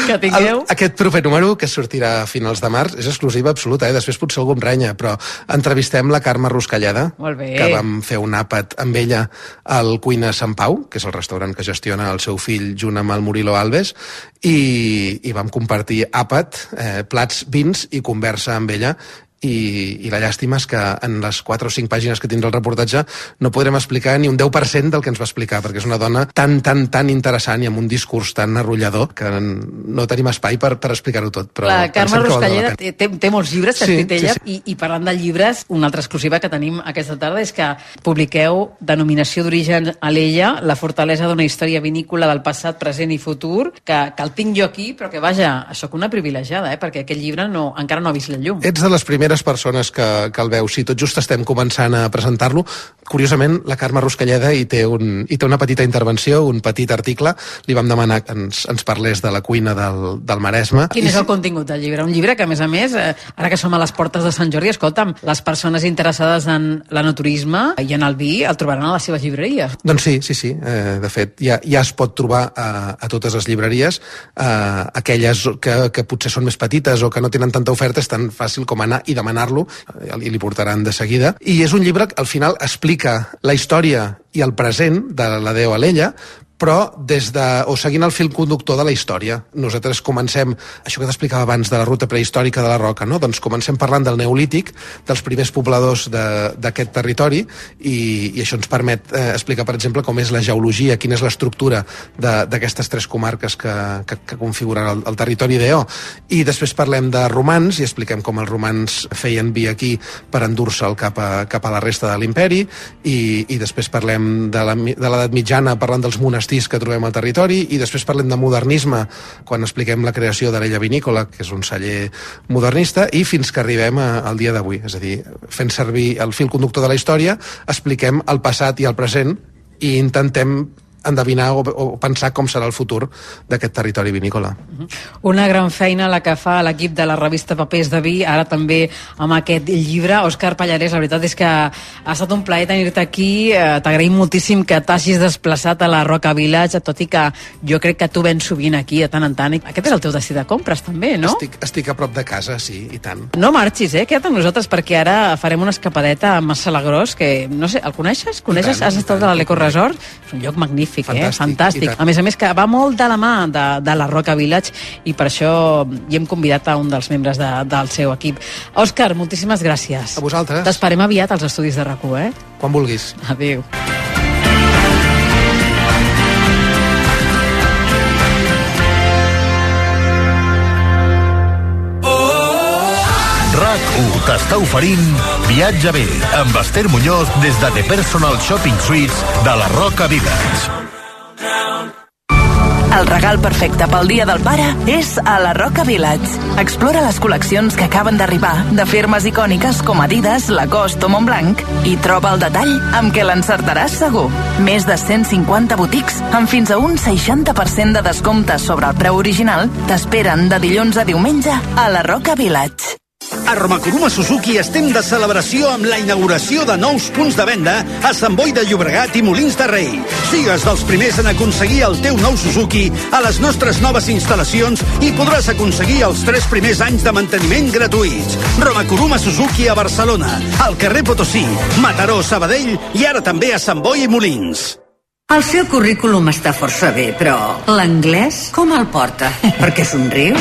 que tingueu. Aquest proper número, que sortirà a finals de març, és exclusiva absoluta, Després potser algú em renya, però entrevistem la Carme Ruscalleda, que vam fer un àpat amb ella al Cuina Sant Pau, que és el restaurant que gestiona el seu fill junt amb el Murilo Alves, i vam compartir àpat, plats, vins i conversa amb ella, i la llàstima és que en les 4 o 5 pàgines que tindrà el reportatge no podrem explicar ni un 10% del que ens va explicar, perquè és una dona tan interessant i amb un discurs tan arrollador que no tenim espai per explicar-ho tot. Però la Carme Ruscalleda té molts llibres que ha escrit ella, i parlant de llibres, una altra exclusiva que tenim aquesta tarda és que publiqueu Denominació d'origen Alella, la fortalesa d'una història vinícola del passat, present i futur, que el tinc jo aquí, però que vaja, sóc una privilegiada, perquè aquest llibre encara no ha vist la llum. Ets de les primeres persones que el veu. Si tot just estem començant a presentar-lo, curiosament, la Carme Ruscalleda hi té una petita intervenció, un petit article. Li vam demanar que ens parlés de la cuina del Maresme. Quin és el contingut del llibre? Un llibre que, a més, ara que som a les portes de Sant Jordi, escolta'm, les persones interessades en l'enoturisme i en el vi el trobaran a les seves llibreries. Doncs sí. De fet, ja es pot trobar a totes les llibreries. Aquelles que potser són més petites o que no tenen tanta oferta, és tan fàcil com anar i demanar-lo, i li portaran de seguida. I és un llibre que al final explica la història i el present de la Deo Alella, però seguint el fil conductor de la història. Nosaltres comencem, això que t'explicava abans de la ruta prehistòrica de la Roca, no? Doncs comencem parlant del Neolític, dels primers pobladors d'aquest territori, i això ens permet explicar, per exemple, com és la geologia, quina és l'estructura d'aquestes 3 comarques que configuren el territori d'Eo. I després parlem de romans, i expliquem com els romans feien vi aquí per endur-se'l cap a la resta de l'imperi, i després parlem de l'edat mitjana, parlant dels monestirs que trobem al territori, i després parlem de modernisme quan expliquem la creació de l'Ella Vinícola, que és un celler modernista, i fins que arribem al dia d'avui. És a dir, fent servir el fil conductor de la història, expliquem el passat i el present i intentem endevinar o pensar com serà el futur d'aquest territori vinícola. Una gran feina la que fa l'equip de la revista Papers de Vi, ara també amb aquest llibre. Òscar Pallarès, la veritat és que ha estat un plaer tenir-te aquí. T'agraïm moltíssim que t'hagis desplaçat a la Roca Village, tot i que jo crec que tu vens sovint aquí de tant en tant. Aquest és el teu destí de compres, també, no? Estic a prop de casa, sí, i tant. No marxis, queda't amb nosaltres, perquè ara farem una escapadeta a Massalagrós, que, no sé, el coneixes? Has estat a l'Eco Resort? És un lloc magnífic. Fantàstic. A més, que va molt de la mà de la Roca Village, i per això hi hem convidat a un dels membres del seu equip. Òscar, moltíssimes gràcies. A vosaltres. T'esperem aviat als estudis de RAC1, Quan vulguis. Adéu. RAC1 t'està oferint Viatge bé amb Esther Muñoz des de The Personal Shopping Suites de la Roca Village. El regal perfecte pel Dia del Pare és a la Roca Village. Explora les col·leccions que acaben d'arribar de firmes icòniques com Adidas, Lacoste o Montblanc i troba el detall amb què l'encertaràs segur. Més de 150 boutiques amb fins a un 60% de descompte sobre el preu original t'esperen de dilluns a diumenge a la Roca Village. A Romakuruma Suzuki estem de celebració amb la inauguració de nous punts de venda a Sant Boi de Llobregat i Molins de Rei. Sigues dels primers en aconseguir el teu nou Suzuki a les nostres noves instal·lacions i podràs aconseguir els 3 primers anys de manteniment gratuïts. Romakuruma Suzuki a Barcelona, al carrer Potosí, Mataró, Sabadell i ara també a Sant Boi i Molins. El seu currículum està força bé, però l'anglès com el porta? Per què somriu?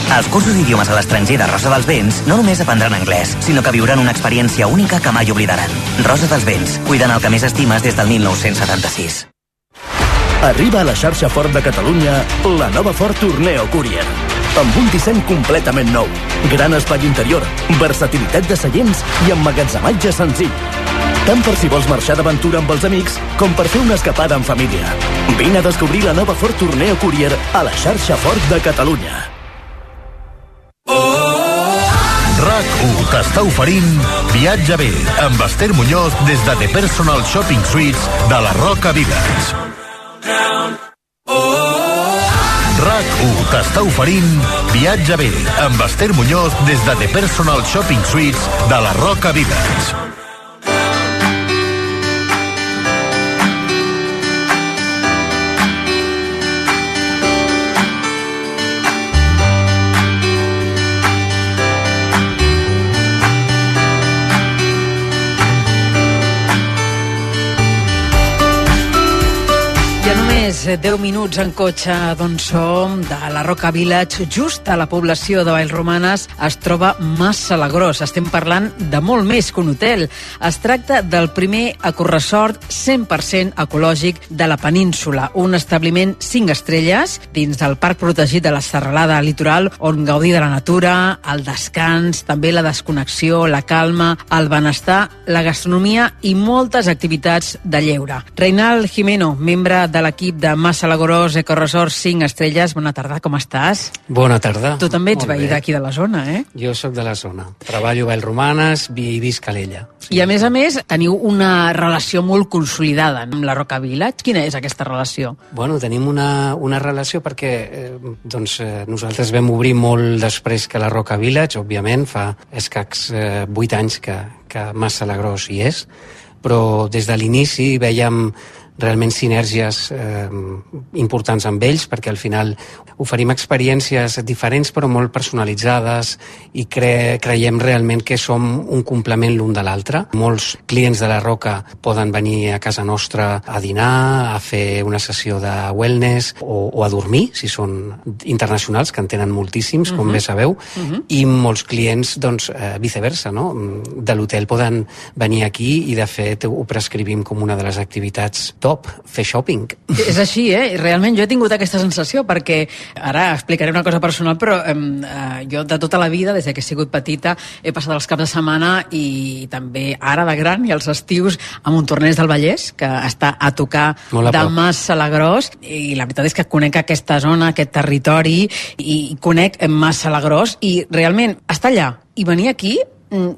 Als cursos d'idiomes a l'estranger de Rosa dels Vents no només aprendran anglès, sinó que viuran una experiència única que mai oblidaran. Rosa dels Vents, cuidant el que més estimes des del 1976. Arriba a la xarxa Ford de Catalunya la nova Ford Tourneo Courier. Amb un disseny completament nou, gran espai interior, versatilitat de seients i emmagatzematge senzill. Tant per si vols marxar d'aventura amb els amics com per fer una escapada en família. Vine a descobrir la nova Ford Tourneo Courier a la xarxa Ford de Catalunya. RAC1 t'està oferint Viatge bé amb Esther Muñoz des de The Personal Shopping Suites de la Roca Village. RAC1 t'està oferint Viatge bé amb Esther Muñoz des de The Personal Shopping Suites de la Roca Village. 10 minuts en cotxe d'on som, de la Roca Village, just a la població de Vallromanes, es troba Mas Salagros. Estem parlant de molt més que un hotel. Es tracta del primer ecoresort 100% ecològic de la península, un establiment 5 estrelles dins del Parc Protegit de la Serralada Litoral, on gaudir de la natura, el descans, també la desconnexió, la calma, el benestar, la gastronomia i moltes activitats de lleure. Reinald Jimeno, membre de l'equip de Mas Salagros Ecoresort 5 estrelles. Bona tarda, com estàs? Bona tarda. Tu també ets veí d'aquí de la zona, eh? Jo sóc de la zona. Treballo a Vallromanes i visc a l'Ella. I a més, teniu una relació molt consolidada amb la Roca Village. Quina és aquesta relació? Bueno, tenim una relació perquè nosaltres vam obrir molt després que la Roca Village, òbviament, fa escacs 8 anys que Mas Salagros hi és, però des de l'inici veiem realment sinergies importants amb ells, perquè al final oferim experiències diferents però molt personalitzades i creiem realment que som un complement l'un de l'altre. Molts clients de la Roca poden venir a casa nostra a dinar, a fer una sessió de wellness o a dormir, si són internacionals, que en tenen moltíssims, com bé sabeu, i molts clients, viceversa, no? De l'hotel poden venir aquí i, de fet, ho prescrivim com una de les activitats top, fer shopping. És així, Realment jo he tingut aquesta sensació, perquè ara explicaré una cosa personal, però jo de tota la vida, des que he sigut petita, he passat els caps de setmana i també ara de gran i els estius a Montornès del Vallès, que està a tocar de Mas Salagros, i la veritat és que conec aquesta zona, aquest territori, i conec Mas Salagros, i realment estar allà i venir aquí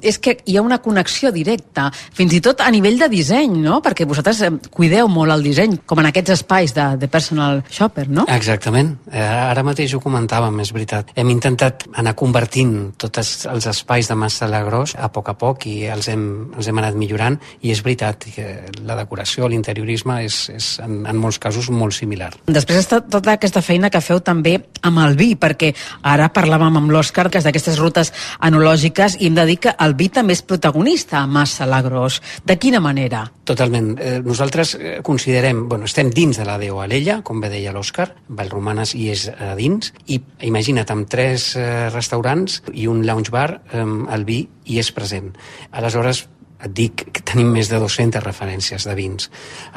és que hi ha una connexió directa, fins i tot a nivell de disseny, no? Perquè vosaltres cuideu molt el disseny, com en aquests espais de personal shopper, no? Exactament. Ara mateix ho comentàvem, és veritat. Hem intentat anar convertint tots els espais de Mas Salagros a poc i els hem anat millorant, i és veritat que la decoració, l'interiorisme és en molts casos molt similar. Després està tota aquesta feina que feu també amb el vi, perquè ara parlàvem amb l'Òscar que és d'aquestes rutes enològiques, i hem de dir que el vi també és protagonista a Mas Salagros. De quina manera? Totalment. Nosaltres considerem, estem dins de la DO Alella, com bé deia l'Òscar, Vallromanes hi és a dins, i imagina't, amb 3 restaurants i un lounge bar, el vi hi és present. Aleshores, et dic que tenim més de 200 referències de vins.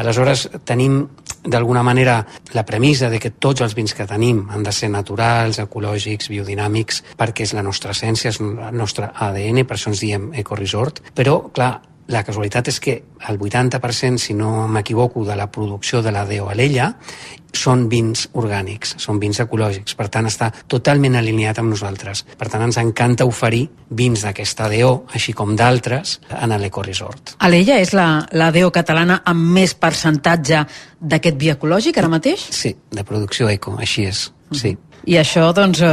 Aleshores, tenim, d'alguna manera, la premissa de que tots els vins que tenim han de ser naturals, ecològics, biodinàmics, perquè és la nostra essència, és el nostre ADN, per això ens diem ecoresort. Però, clar, la casualitat és que el 80%, si no m'equivoco, de la producció de la DO Alella són vins orgànics, són vins ecològics. Per tant, està totalment alineat amb nosaltres. Per tant, ens encanta oferir vins d'aquesta DO, així com d'altres, en l'ecoresort. Alella és la DO catalana amb més percentatge d'aquest vi ecològic ara mateix? Sí, de producció eco, així és, sí. I això,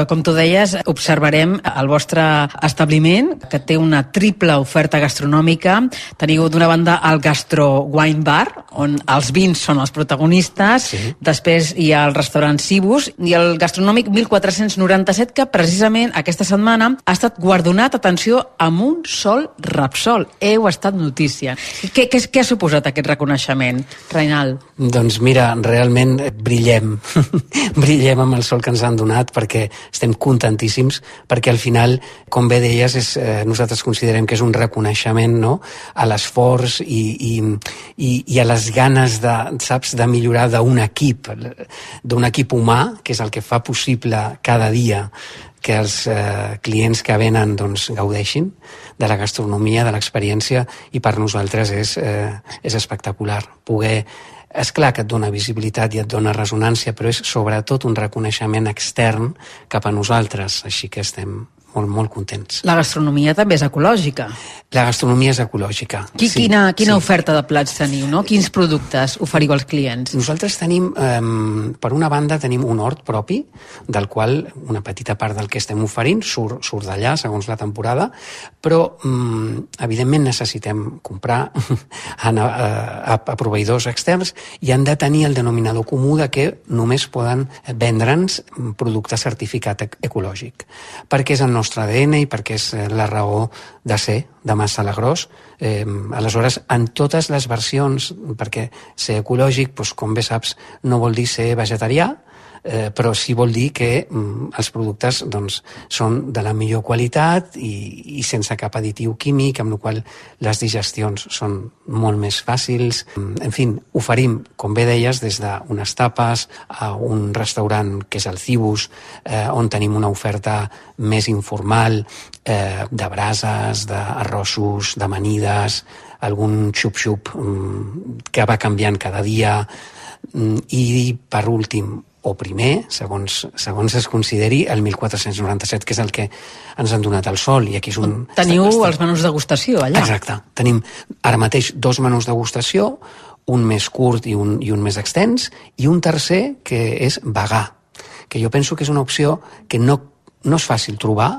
com tu deies, observarem el vostre establiment, que té una triple oferta gastronòmica. Teniu d'una banda el Gastro Wine Bar, on els vins són els protagonistes, després hi ha el restaurant Cibus i el gastronòmic 1497, que precisament aquesta setmana ha estat guardonat, atenció, amb un sol Repsol. Heu estat notícia. Què ha suposat aquest reconeixement, Reinald? Doncs mira, realment brillem. Brillem amb el sol que ens han donat, perquè estem contentíssims, perquè al final, com bé deies, nosaltres considerem que és un reconeixement, no?, a l'esforç i a les ganes de millorar d'un equip humà, que és el que fa possible cada dia que els clients que venen gaudeixin de la gastronomia, de l'experiència, i per nosaltres és espectacular poder. És clar que et dona visibilitat i et dona ressonància, però és sobretot un reconeixement extern cap a nosaltres, així que estem molt, molt contents. La gastronomia també és ecològica. La gastronomia és ecològica. Quina oferta de plats teniu, no? Quins productes oferiu als clients? Nosaltres tenim, per una banda, tenim un hort propi, del qual una petita part del que estem oferint surt d'allà, segons la temporada, però, evidentment, necessitem comprar a proveïdors externs i han de tenir el denominador comú de que només poden vendre'ns producte certificat ecològic, perquè és el nostre ADN i perquè és la raó de ser de Mas Salagrós. Aleshores, en totes les versions, perquè ser ecològic, com bé saps, no vol dir ser vegetarià, però sí vol dir que els productes són de la millor qualitat i sense cap additiu químic, amb la qual les digestions són molt més fàcils. En fi, oferim, com bé deies, des d'unes tapes a un restaurant que és el Cibus, on tenim una oferta més informal de brases, d'arrossos, d'amanides, algun xup-xup que va canviant cada dia. I, per últim, o primer, segons es consideri, el 1497, que és el que ens han donat el sol. I aquí és un... Teniu els menús de degustació allà. Exacte. Tenim ara mateix 2 menús de degustació, un més curt i un més extens, i un tercer que és vegà, que jo penso que és una opció que no és fàcil trobar,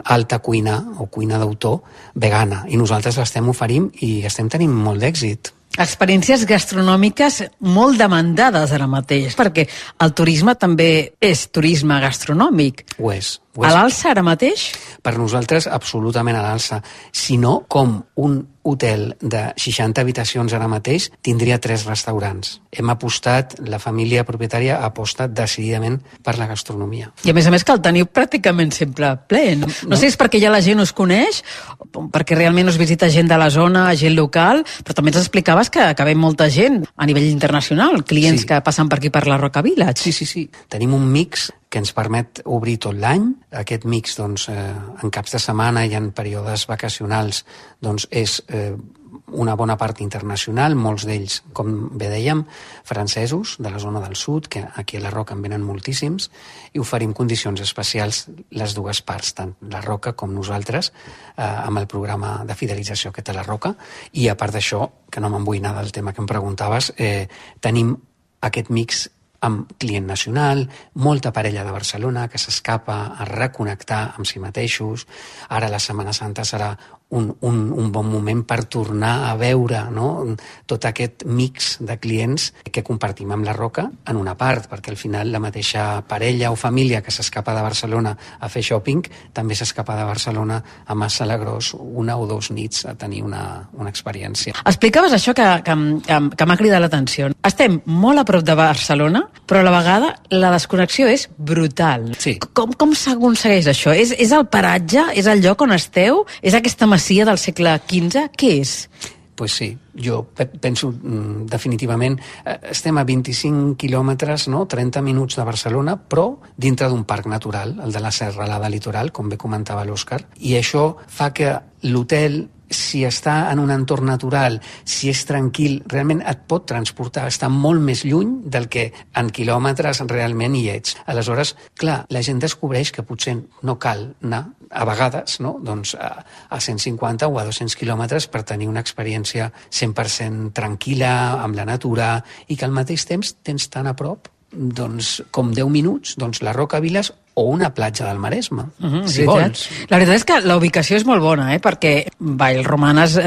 alta cuina o cuina d'autor vegana, i nosaltres l'estem oferint i estem tenint molt d'èxit. Experiències gastronòmiques molt demandades ara mateix, perquè el turisme també és turisme gastronòmic. Ho és. A l'alça ara mateix? Per nosaltres, absolutament a l'alça. Si no, com un hotel de 60 habitacions ara mateix tindria 3 restaurants. Hem apostat, la família propietària ha apostat decididament per la gastronomia. I a més que el teniu pràcticament sempre ple. No sé si és perquè ja la gent us coneix, perquè realment us visita gent de la zona, gent local, però també ens explicaves que ve molta gent a nivell internacional, clients que passen per aquí per la Roca Village. Sí. Tenim un mix que ens permet obrir tot l'any. Aquest mix, en caps de setmana i en períodes vacacionals, és una bona part internacional, molts d'ells, com bé dèiem, francesos, de la zona del sud, que aquí a la Roca en venen moltíssims, i oferim condicions especials les dues parts, tant la Roca com nosaltres, amb el programa de fidelització que té la Roca. I a part d'això, que no me'n vull anar del tema que em preguntaves, tenim aquest mix amb client nacional, molta parella de Barcelona que s'escapa a reconnectar amb si mateixos. Ara la Setmana Santa serà un bon moment per tornar a veure tot aquest mix de clients que compartim amb la Roca en una part, perquè al final la mateixa parella o família que s'escapa de Barcelona a fer shopping també s'escapa de Barcelona a Mas Salagrós 1 o 2 nits a tenir una experiència. Explicaves això que m'ha cridat l'atenció. Estem molt a prop de Barcelona, però a la vegada la desconnexió és brutal. Sí. Com s'aconsegueix això? És el paratge? És el lloc on esteu? És aquesta masia del segle XV? Què és? Pues sí, jo penso definitivament, estem a 25 quilòmetres, 30 minuts de Barcelona, però dintre d'un parc natural, el de la Serralada Litoral, com bé comentava l'Òscar, i això fa que l'hotel, si està en un entorn natural, si és tranquil, realment et pot transportar, està molt més lluny del que en quilòmetres realment hi ets. Aleshores, clar, la gent descobreix que potser no cal anar a vegades a 150 o a 200 quilòmetres per tenir una experiència 100% tranquil·la, amb la natura, i que al mateix temps tens tan a prop com 10 minuts, la Roca Village o una platja del Maresme, si vols. La veritat és que la ubicació és molt bona, perquè Vallromanes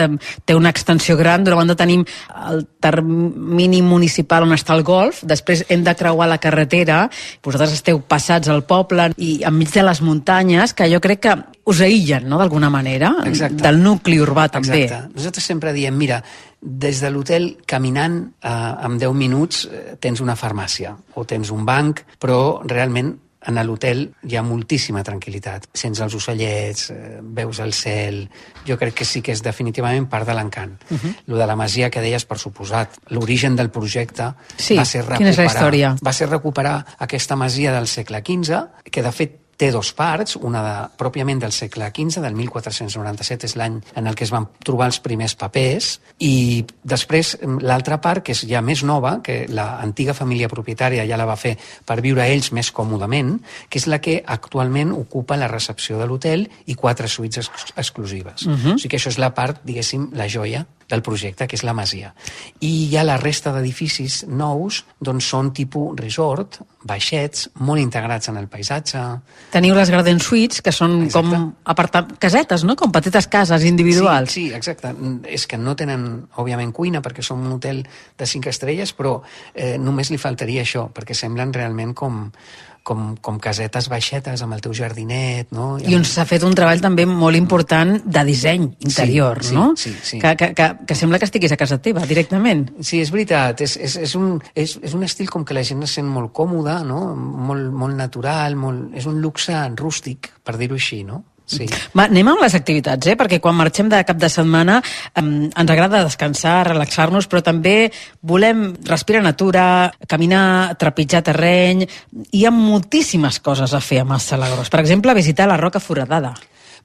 té una extensió gran. D'una banda tenim el termini municipal on està el golf, després hem de creuar la carretera, vosaltres esteu passats al poble i enmig de les muntanyes, que jo crec que us aïllen, d'alguna manera, del nucli urbà també. Exacte. Nosaltres sempre diem, mira, des de l'hotel caminant en 10 minuts tens una farmàcia o tens un banc, però realment en l'hotel hi ha moltíssima tranquil·litat. Sents els ocellets, veus el cel. Jo crec que sí que és definitivament part de l'encant. Lo de la masia que deies, per suposat, l'origen del projecte va ser quina és la història? Va ser recuperar aquesta masia del segle XV, que de fet té 2 parts, una pròpiament del segle XV, del 1497, és l'any en el que es van trobar els primers papers, i després l'altra part, que és ja més nova, que l'antiga família propietària ja la va fer per viure ells més còmodament, que és la que actualment ocupa la recepció de l'hotel i 4 suites exclusives. O sigui que això és la part, diguéssim, la joia del projecte, que és la masia. I ja la resta d'edificis nous són tipus resort, baixets, molt integrats en el paisatge. Teniu les Garden Suites, que són com casetes, com petites cases individuals. Sí, exacte. És que no tenen, òbviament, cuina, perquè som un hotel de 5 estrelles, però només li faltaria això, perquè semblen realment com com casetes baixetes amb el teu jardinet, no? I on s'ha fet un treball també molt important de disseny interior, no? Sí. Que sembla que estiguis a casa teva, directament. Sí, és veritat. És un estil com que la gent es sent molt còmoda, no? Molt natural, és un luxe rústic, per dir-ho així, no? Sí. Va, anem amb les activitats, perquè quan marxem de cap de setmana ens agrada descansar, relaxar-nos, però també volem respirar natura, caminar, trepitjar terreny. Hi ha moltíssimes coses a fer a Mas Salagrós. Per exemple, visitar la Roca Foradada.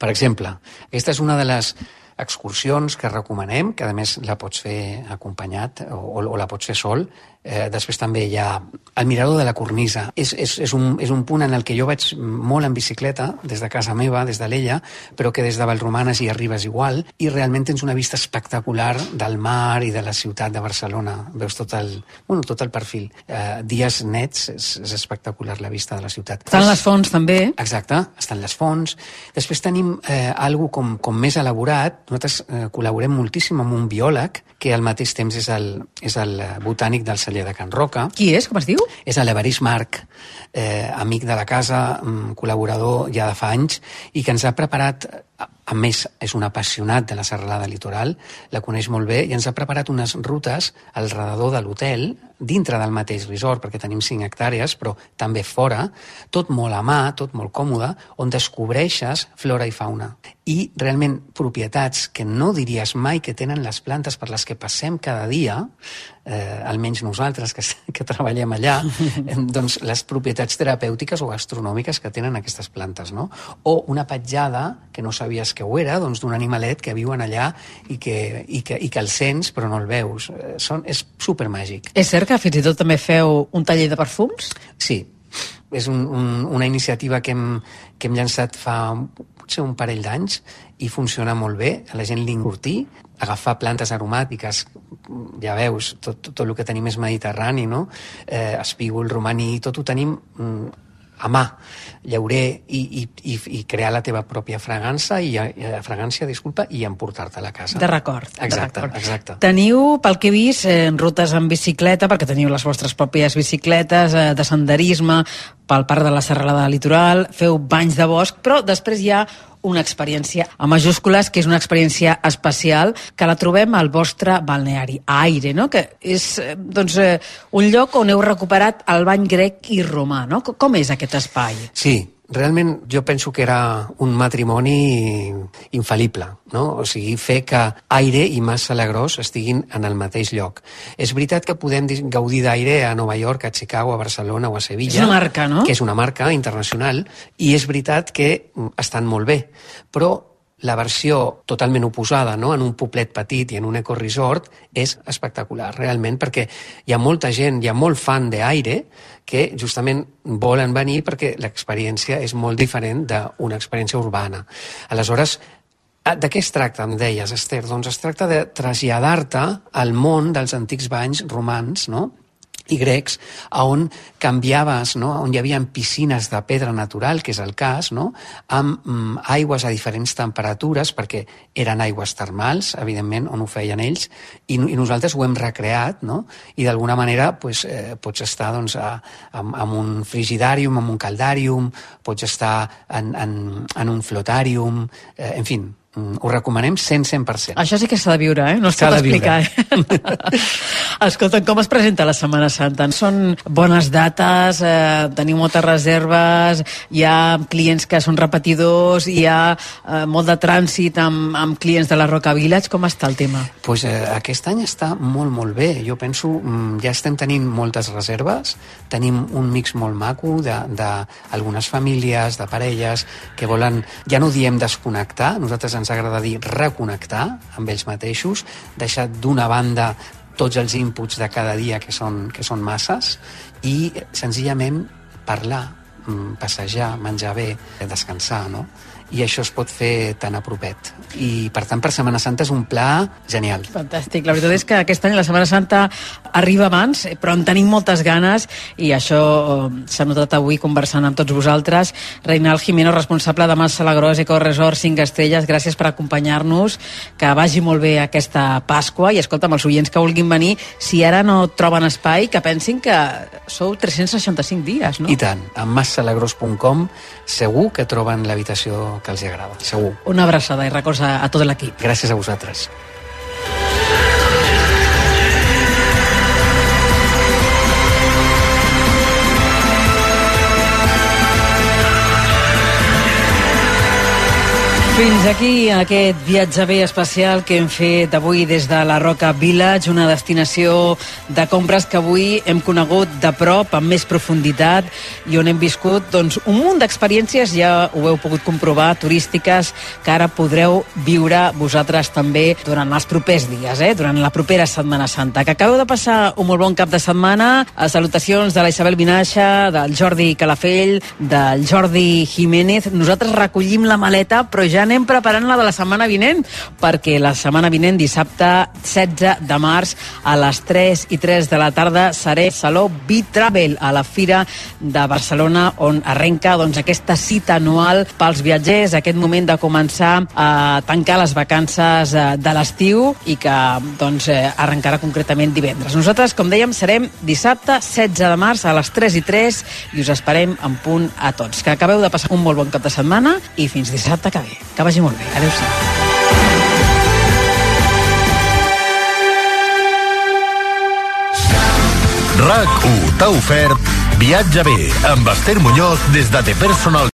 Per exemple, aquesta és una de les excursions que recomanem, que a més la pots fer acompanyat o la pots fer sol. Després també hi ha el mirador de la Cornisa. És un punt en el que jo vaig molt en bicicleta, des de casa meva, des de l'Ella, però que des de Vallromanes hi arribes igual, i realment tens una vista espectacular del mar i de la ciutat de Barcelona. Veus tot el perfil. Dies nets, és espectacular la vista de la ciutat. Estan les fonts també. Exacte, estan les fonts. Després tenim algo com més elaborat. Nosaltres col·laborem moltíssim amb un biòleg que al mateix temps és el botànic del celler de Can Roca. Qui és? Com es diu? És l'Evarist Marc, amic de la casa, col·laborador ja de fa anys, i que ens ha preparat, a més és un apassionat de la serralada litoral, la coneix molt bé, i ens ha preparat unes rutes al redador de l'hotel, dintre del mateix resort, perquè tenim 5 hectàrees, però també fora, tot molt a mà, tot molt còmode, on descobreixes flora i fauna. I realment propietats que no diries mai que tenen les plantes per les que passem cada dia, almenys nosaltres que treballem allà, doncs les propietats terapèutiques o gastronòmiques que tenen aquestes plantes, no? O una petjada que no sabies que ho era, doncs d'un animalet que viuen allà i que el sents però no el veus. És supermàgic. És cert que fins i tot també feu un taller de perfums? Sí, és una iniciativa que hem llançat fa potser un parell d'anys i funciona molt bé, a la gent li encurtí, agafar plantes aromàtiques, ja veus, tot el que tenim és mediterrani, no? Espígol, romaní, tot ho tenim a mà, llaurer, i crear la teva pròpia fragància i emportar-te a la casa. De record. Exacte. Teniu, pel que he vist, rutes en bicicleta, perquè teniu les vostres pròpies bicicletes, de senderisme, pel parc de la Serralada Litoral, feu banys de bosc, però després hi ha una experiència a majúscules, que és una experiència especial, que la trobem al vostre balneari, a Aire, no? Que és un lloc on heu recuperat el bany grec i romà, no? Com és aquest espai? Sí, realment jo penso que era un matrimoni infal·lible, no? O sigui, fer que Aire i Mas Salagrós estiguin en el mateix lloc. És veritat que podem gaudir d'Aire a Nova York, a Chicago, a Barcelona o a Sevilla. És una marca, no? Que és una marca internacional, i és veritat que estan molt bé, però la versió totalment oposada, no? En un poblet petit i en un ecoresort, és espectacular, realment, perquè hi ha molta gent, hi ha molt fan d'Aire que justament volen venir perquè l'experiència és molt diferent d'una experiència urbana. Aleshores, de què es tracta, em deies, Esther? Doncs es tracta de traslladar-te al món dels antics banys romans, no?, i grecs, on canviaves, no?, on hi havia piscines de pedra natural, que és el cas, no?, amb aigües a diferents temperatures, perquè eren aigües termals, evidentment, on ho feien ells, i nosaltres ho hem recreat, no?, i d'alguna manera pots estar amb un frigidàrium, amb un caldàrium, pots estar en un flotàrium, en fi, ho recomanem 100%. Això sí que s'ha de viure, no es pot explicar. Escolta, com es presenta la Setmana Santa? Són bones dates, teniu moltes reserves, hi ha clients que són repetidors, hi ha molt de trànsit amb clients de la Roca Village. Com està el tema? Pues aquest any està molt, molt bé. Jo penso, ja estem tenint moltes reserves, tenim un mix molt maco d'algunes famílies, de parelles, que volen, ja no diem desconnectar, nosaltres ens agrada dir reconnectar amb ells mateixos, deixar d'una banda tots els inputs de cada dia que són masses, i senzillament parlar, passejar, menjar bé, descansar, no? i això es pot fer tan a propet. I, per tant, per Setmana Santa és un pla genial. Fantàstic. La veritat és que aquest any la Setmana Santa arriba abans, però en tenim moltes ganes i això s'ha notat avui conversant amb tots vosaltres. Reinald Jimeno, responsable de Mas Salagrós Eco Resort 5 Estrelles, gràcies per acompanyar-nos, que vagi molt bé aquesta Pasqua i escolta'm, els oients que vulguin venir, si ara no troben espai, que pensin que sou 365 dies, no? I tant, a massalagrós.com segur que troben l'habitació que els agrada, segur. Una abraçada i records a tot l'equip. Gràcies a vosaltres. Fins aquí aquest viatge bé especial que hem fet avui des de la Roca Village, una destinació de compres que avui hem conegut de prop, amb més profunditat, i on hem viscut doncs, un munt d'experiències, ja ho heu pogut comprovar, turístiques, que ara podreu viure vosaltres també durant els propers dies, durant la propera Setmana Santa. Que acabeu de passar un molt bon cap de setmana. A salutacions de la Isabel Vinaixa, del Jordi Calafell, del Jordi Jiménez. Nosaltres recollim la maleta, però ja anem preparant la de la setmana vinent, perquè la setmana vinent, dissabte 16 de març, a les 3:03 de la tarda, seré Saló B-Travel, a la Fira de Barcelona, on arrenca doncs, aquesta cita anual pels viatgers, aquest moment de començar a tancar les vacances de l'estiu i que doncs, arrencarà concretament divendres. Nosaltres, com dèiem, serem dissabte 16 de març a les 3:03 i us esperem en punt a tots. Que acabeu de passar un molt bon cap de setmana i fins dissabte que ve. Que vagi molt bé. Adéu-siau. RAC1 t'ha ofert Viatge bé amb Esther Muñoz des de The Personal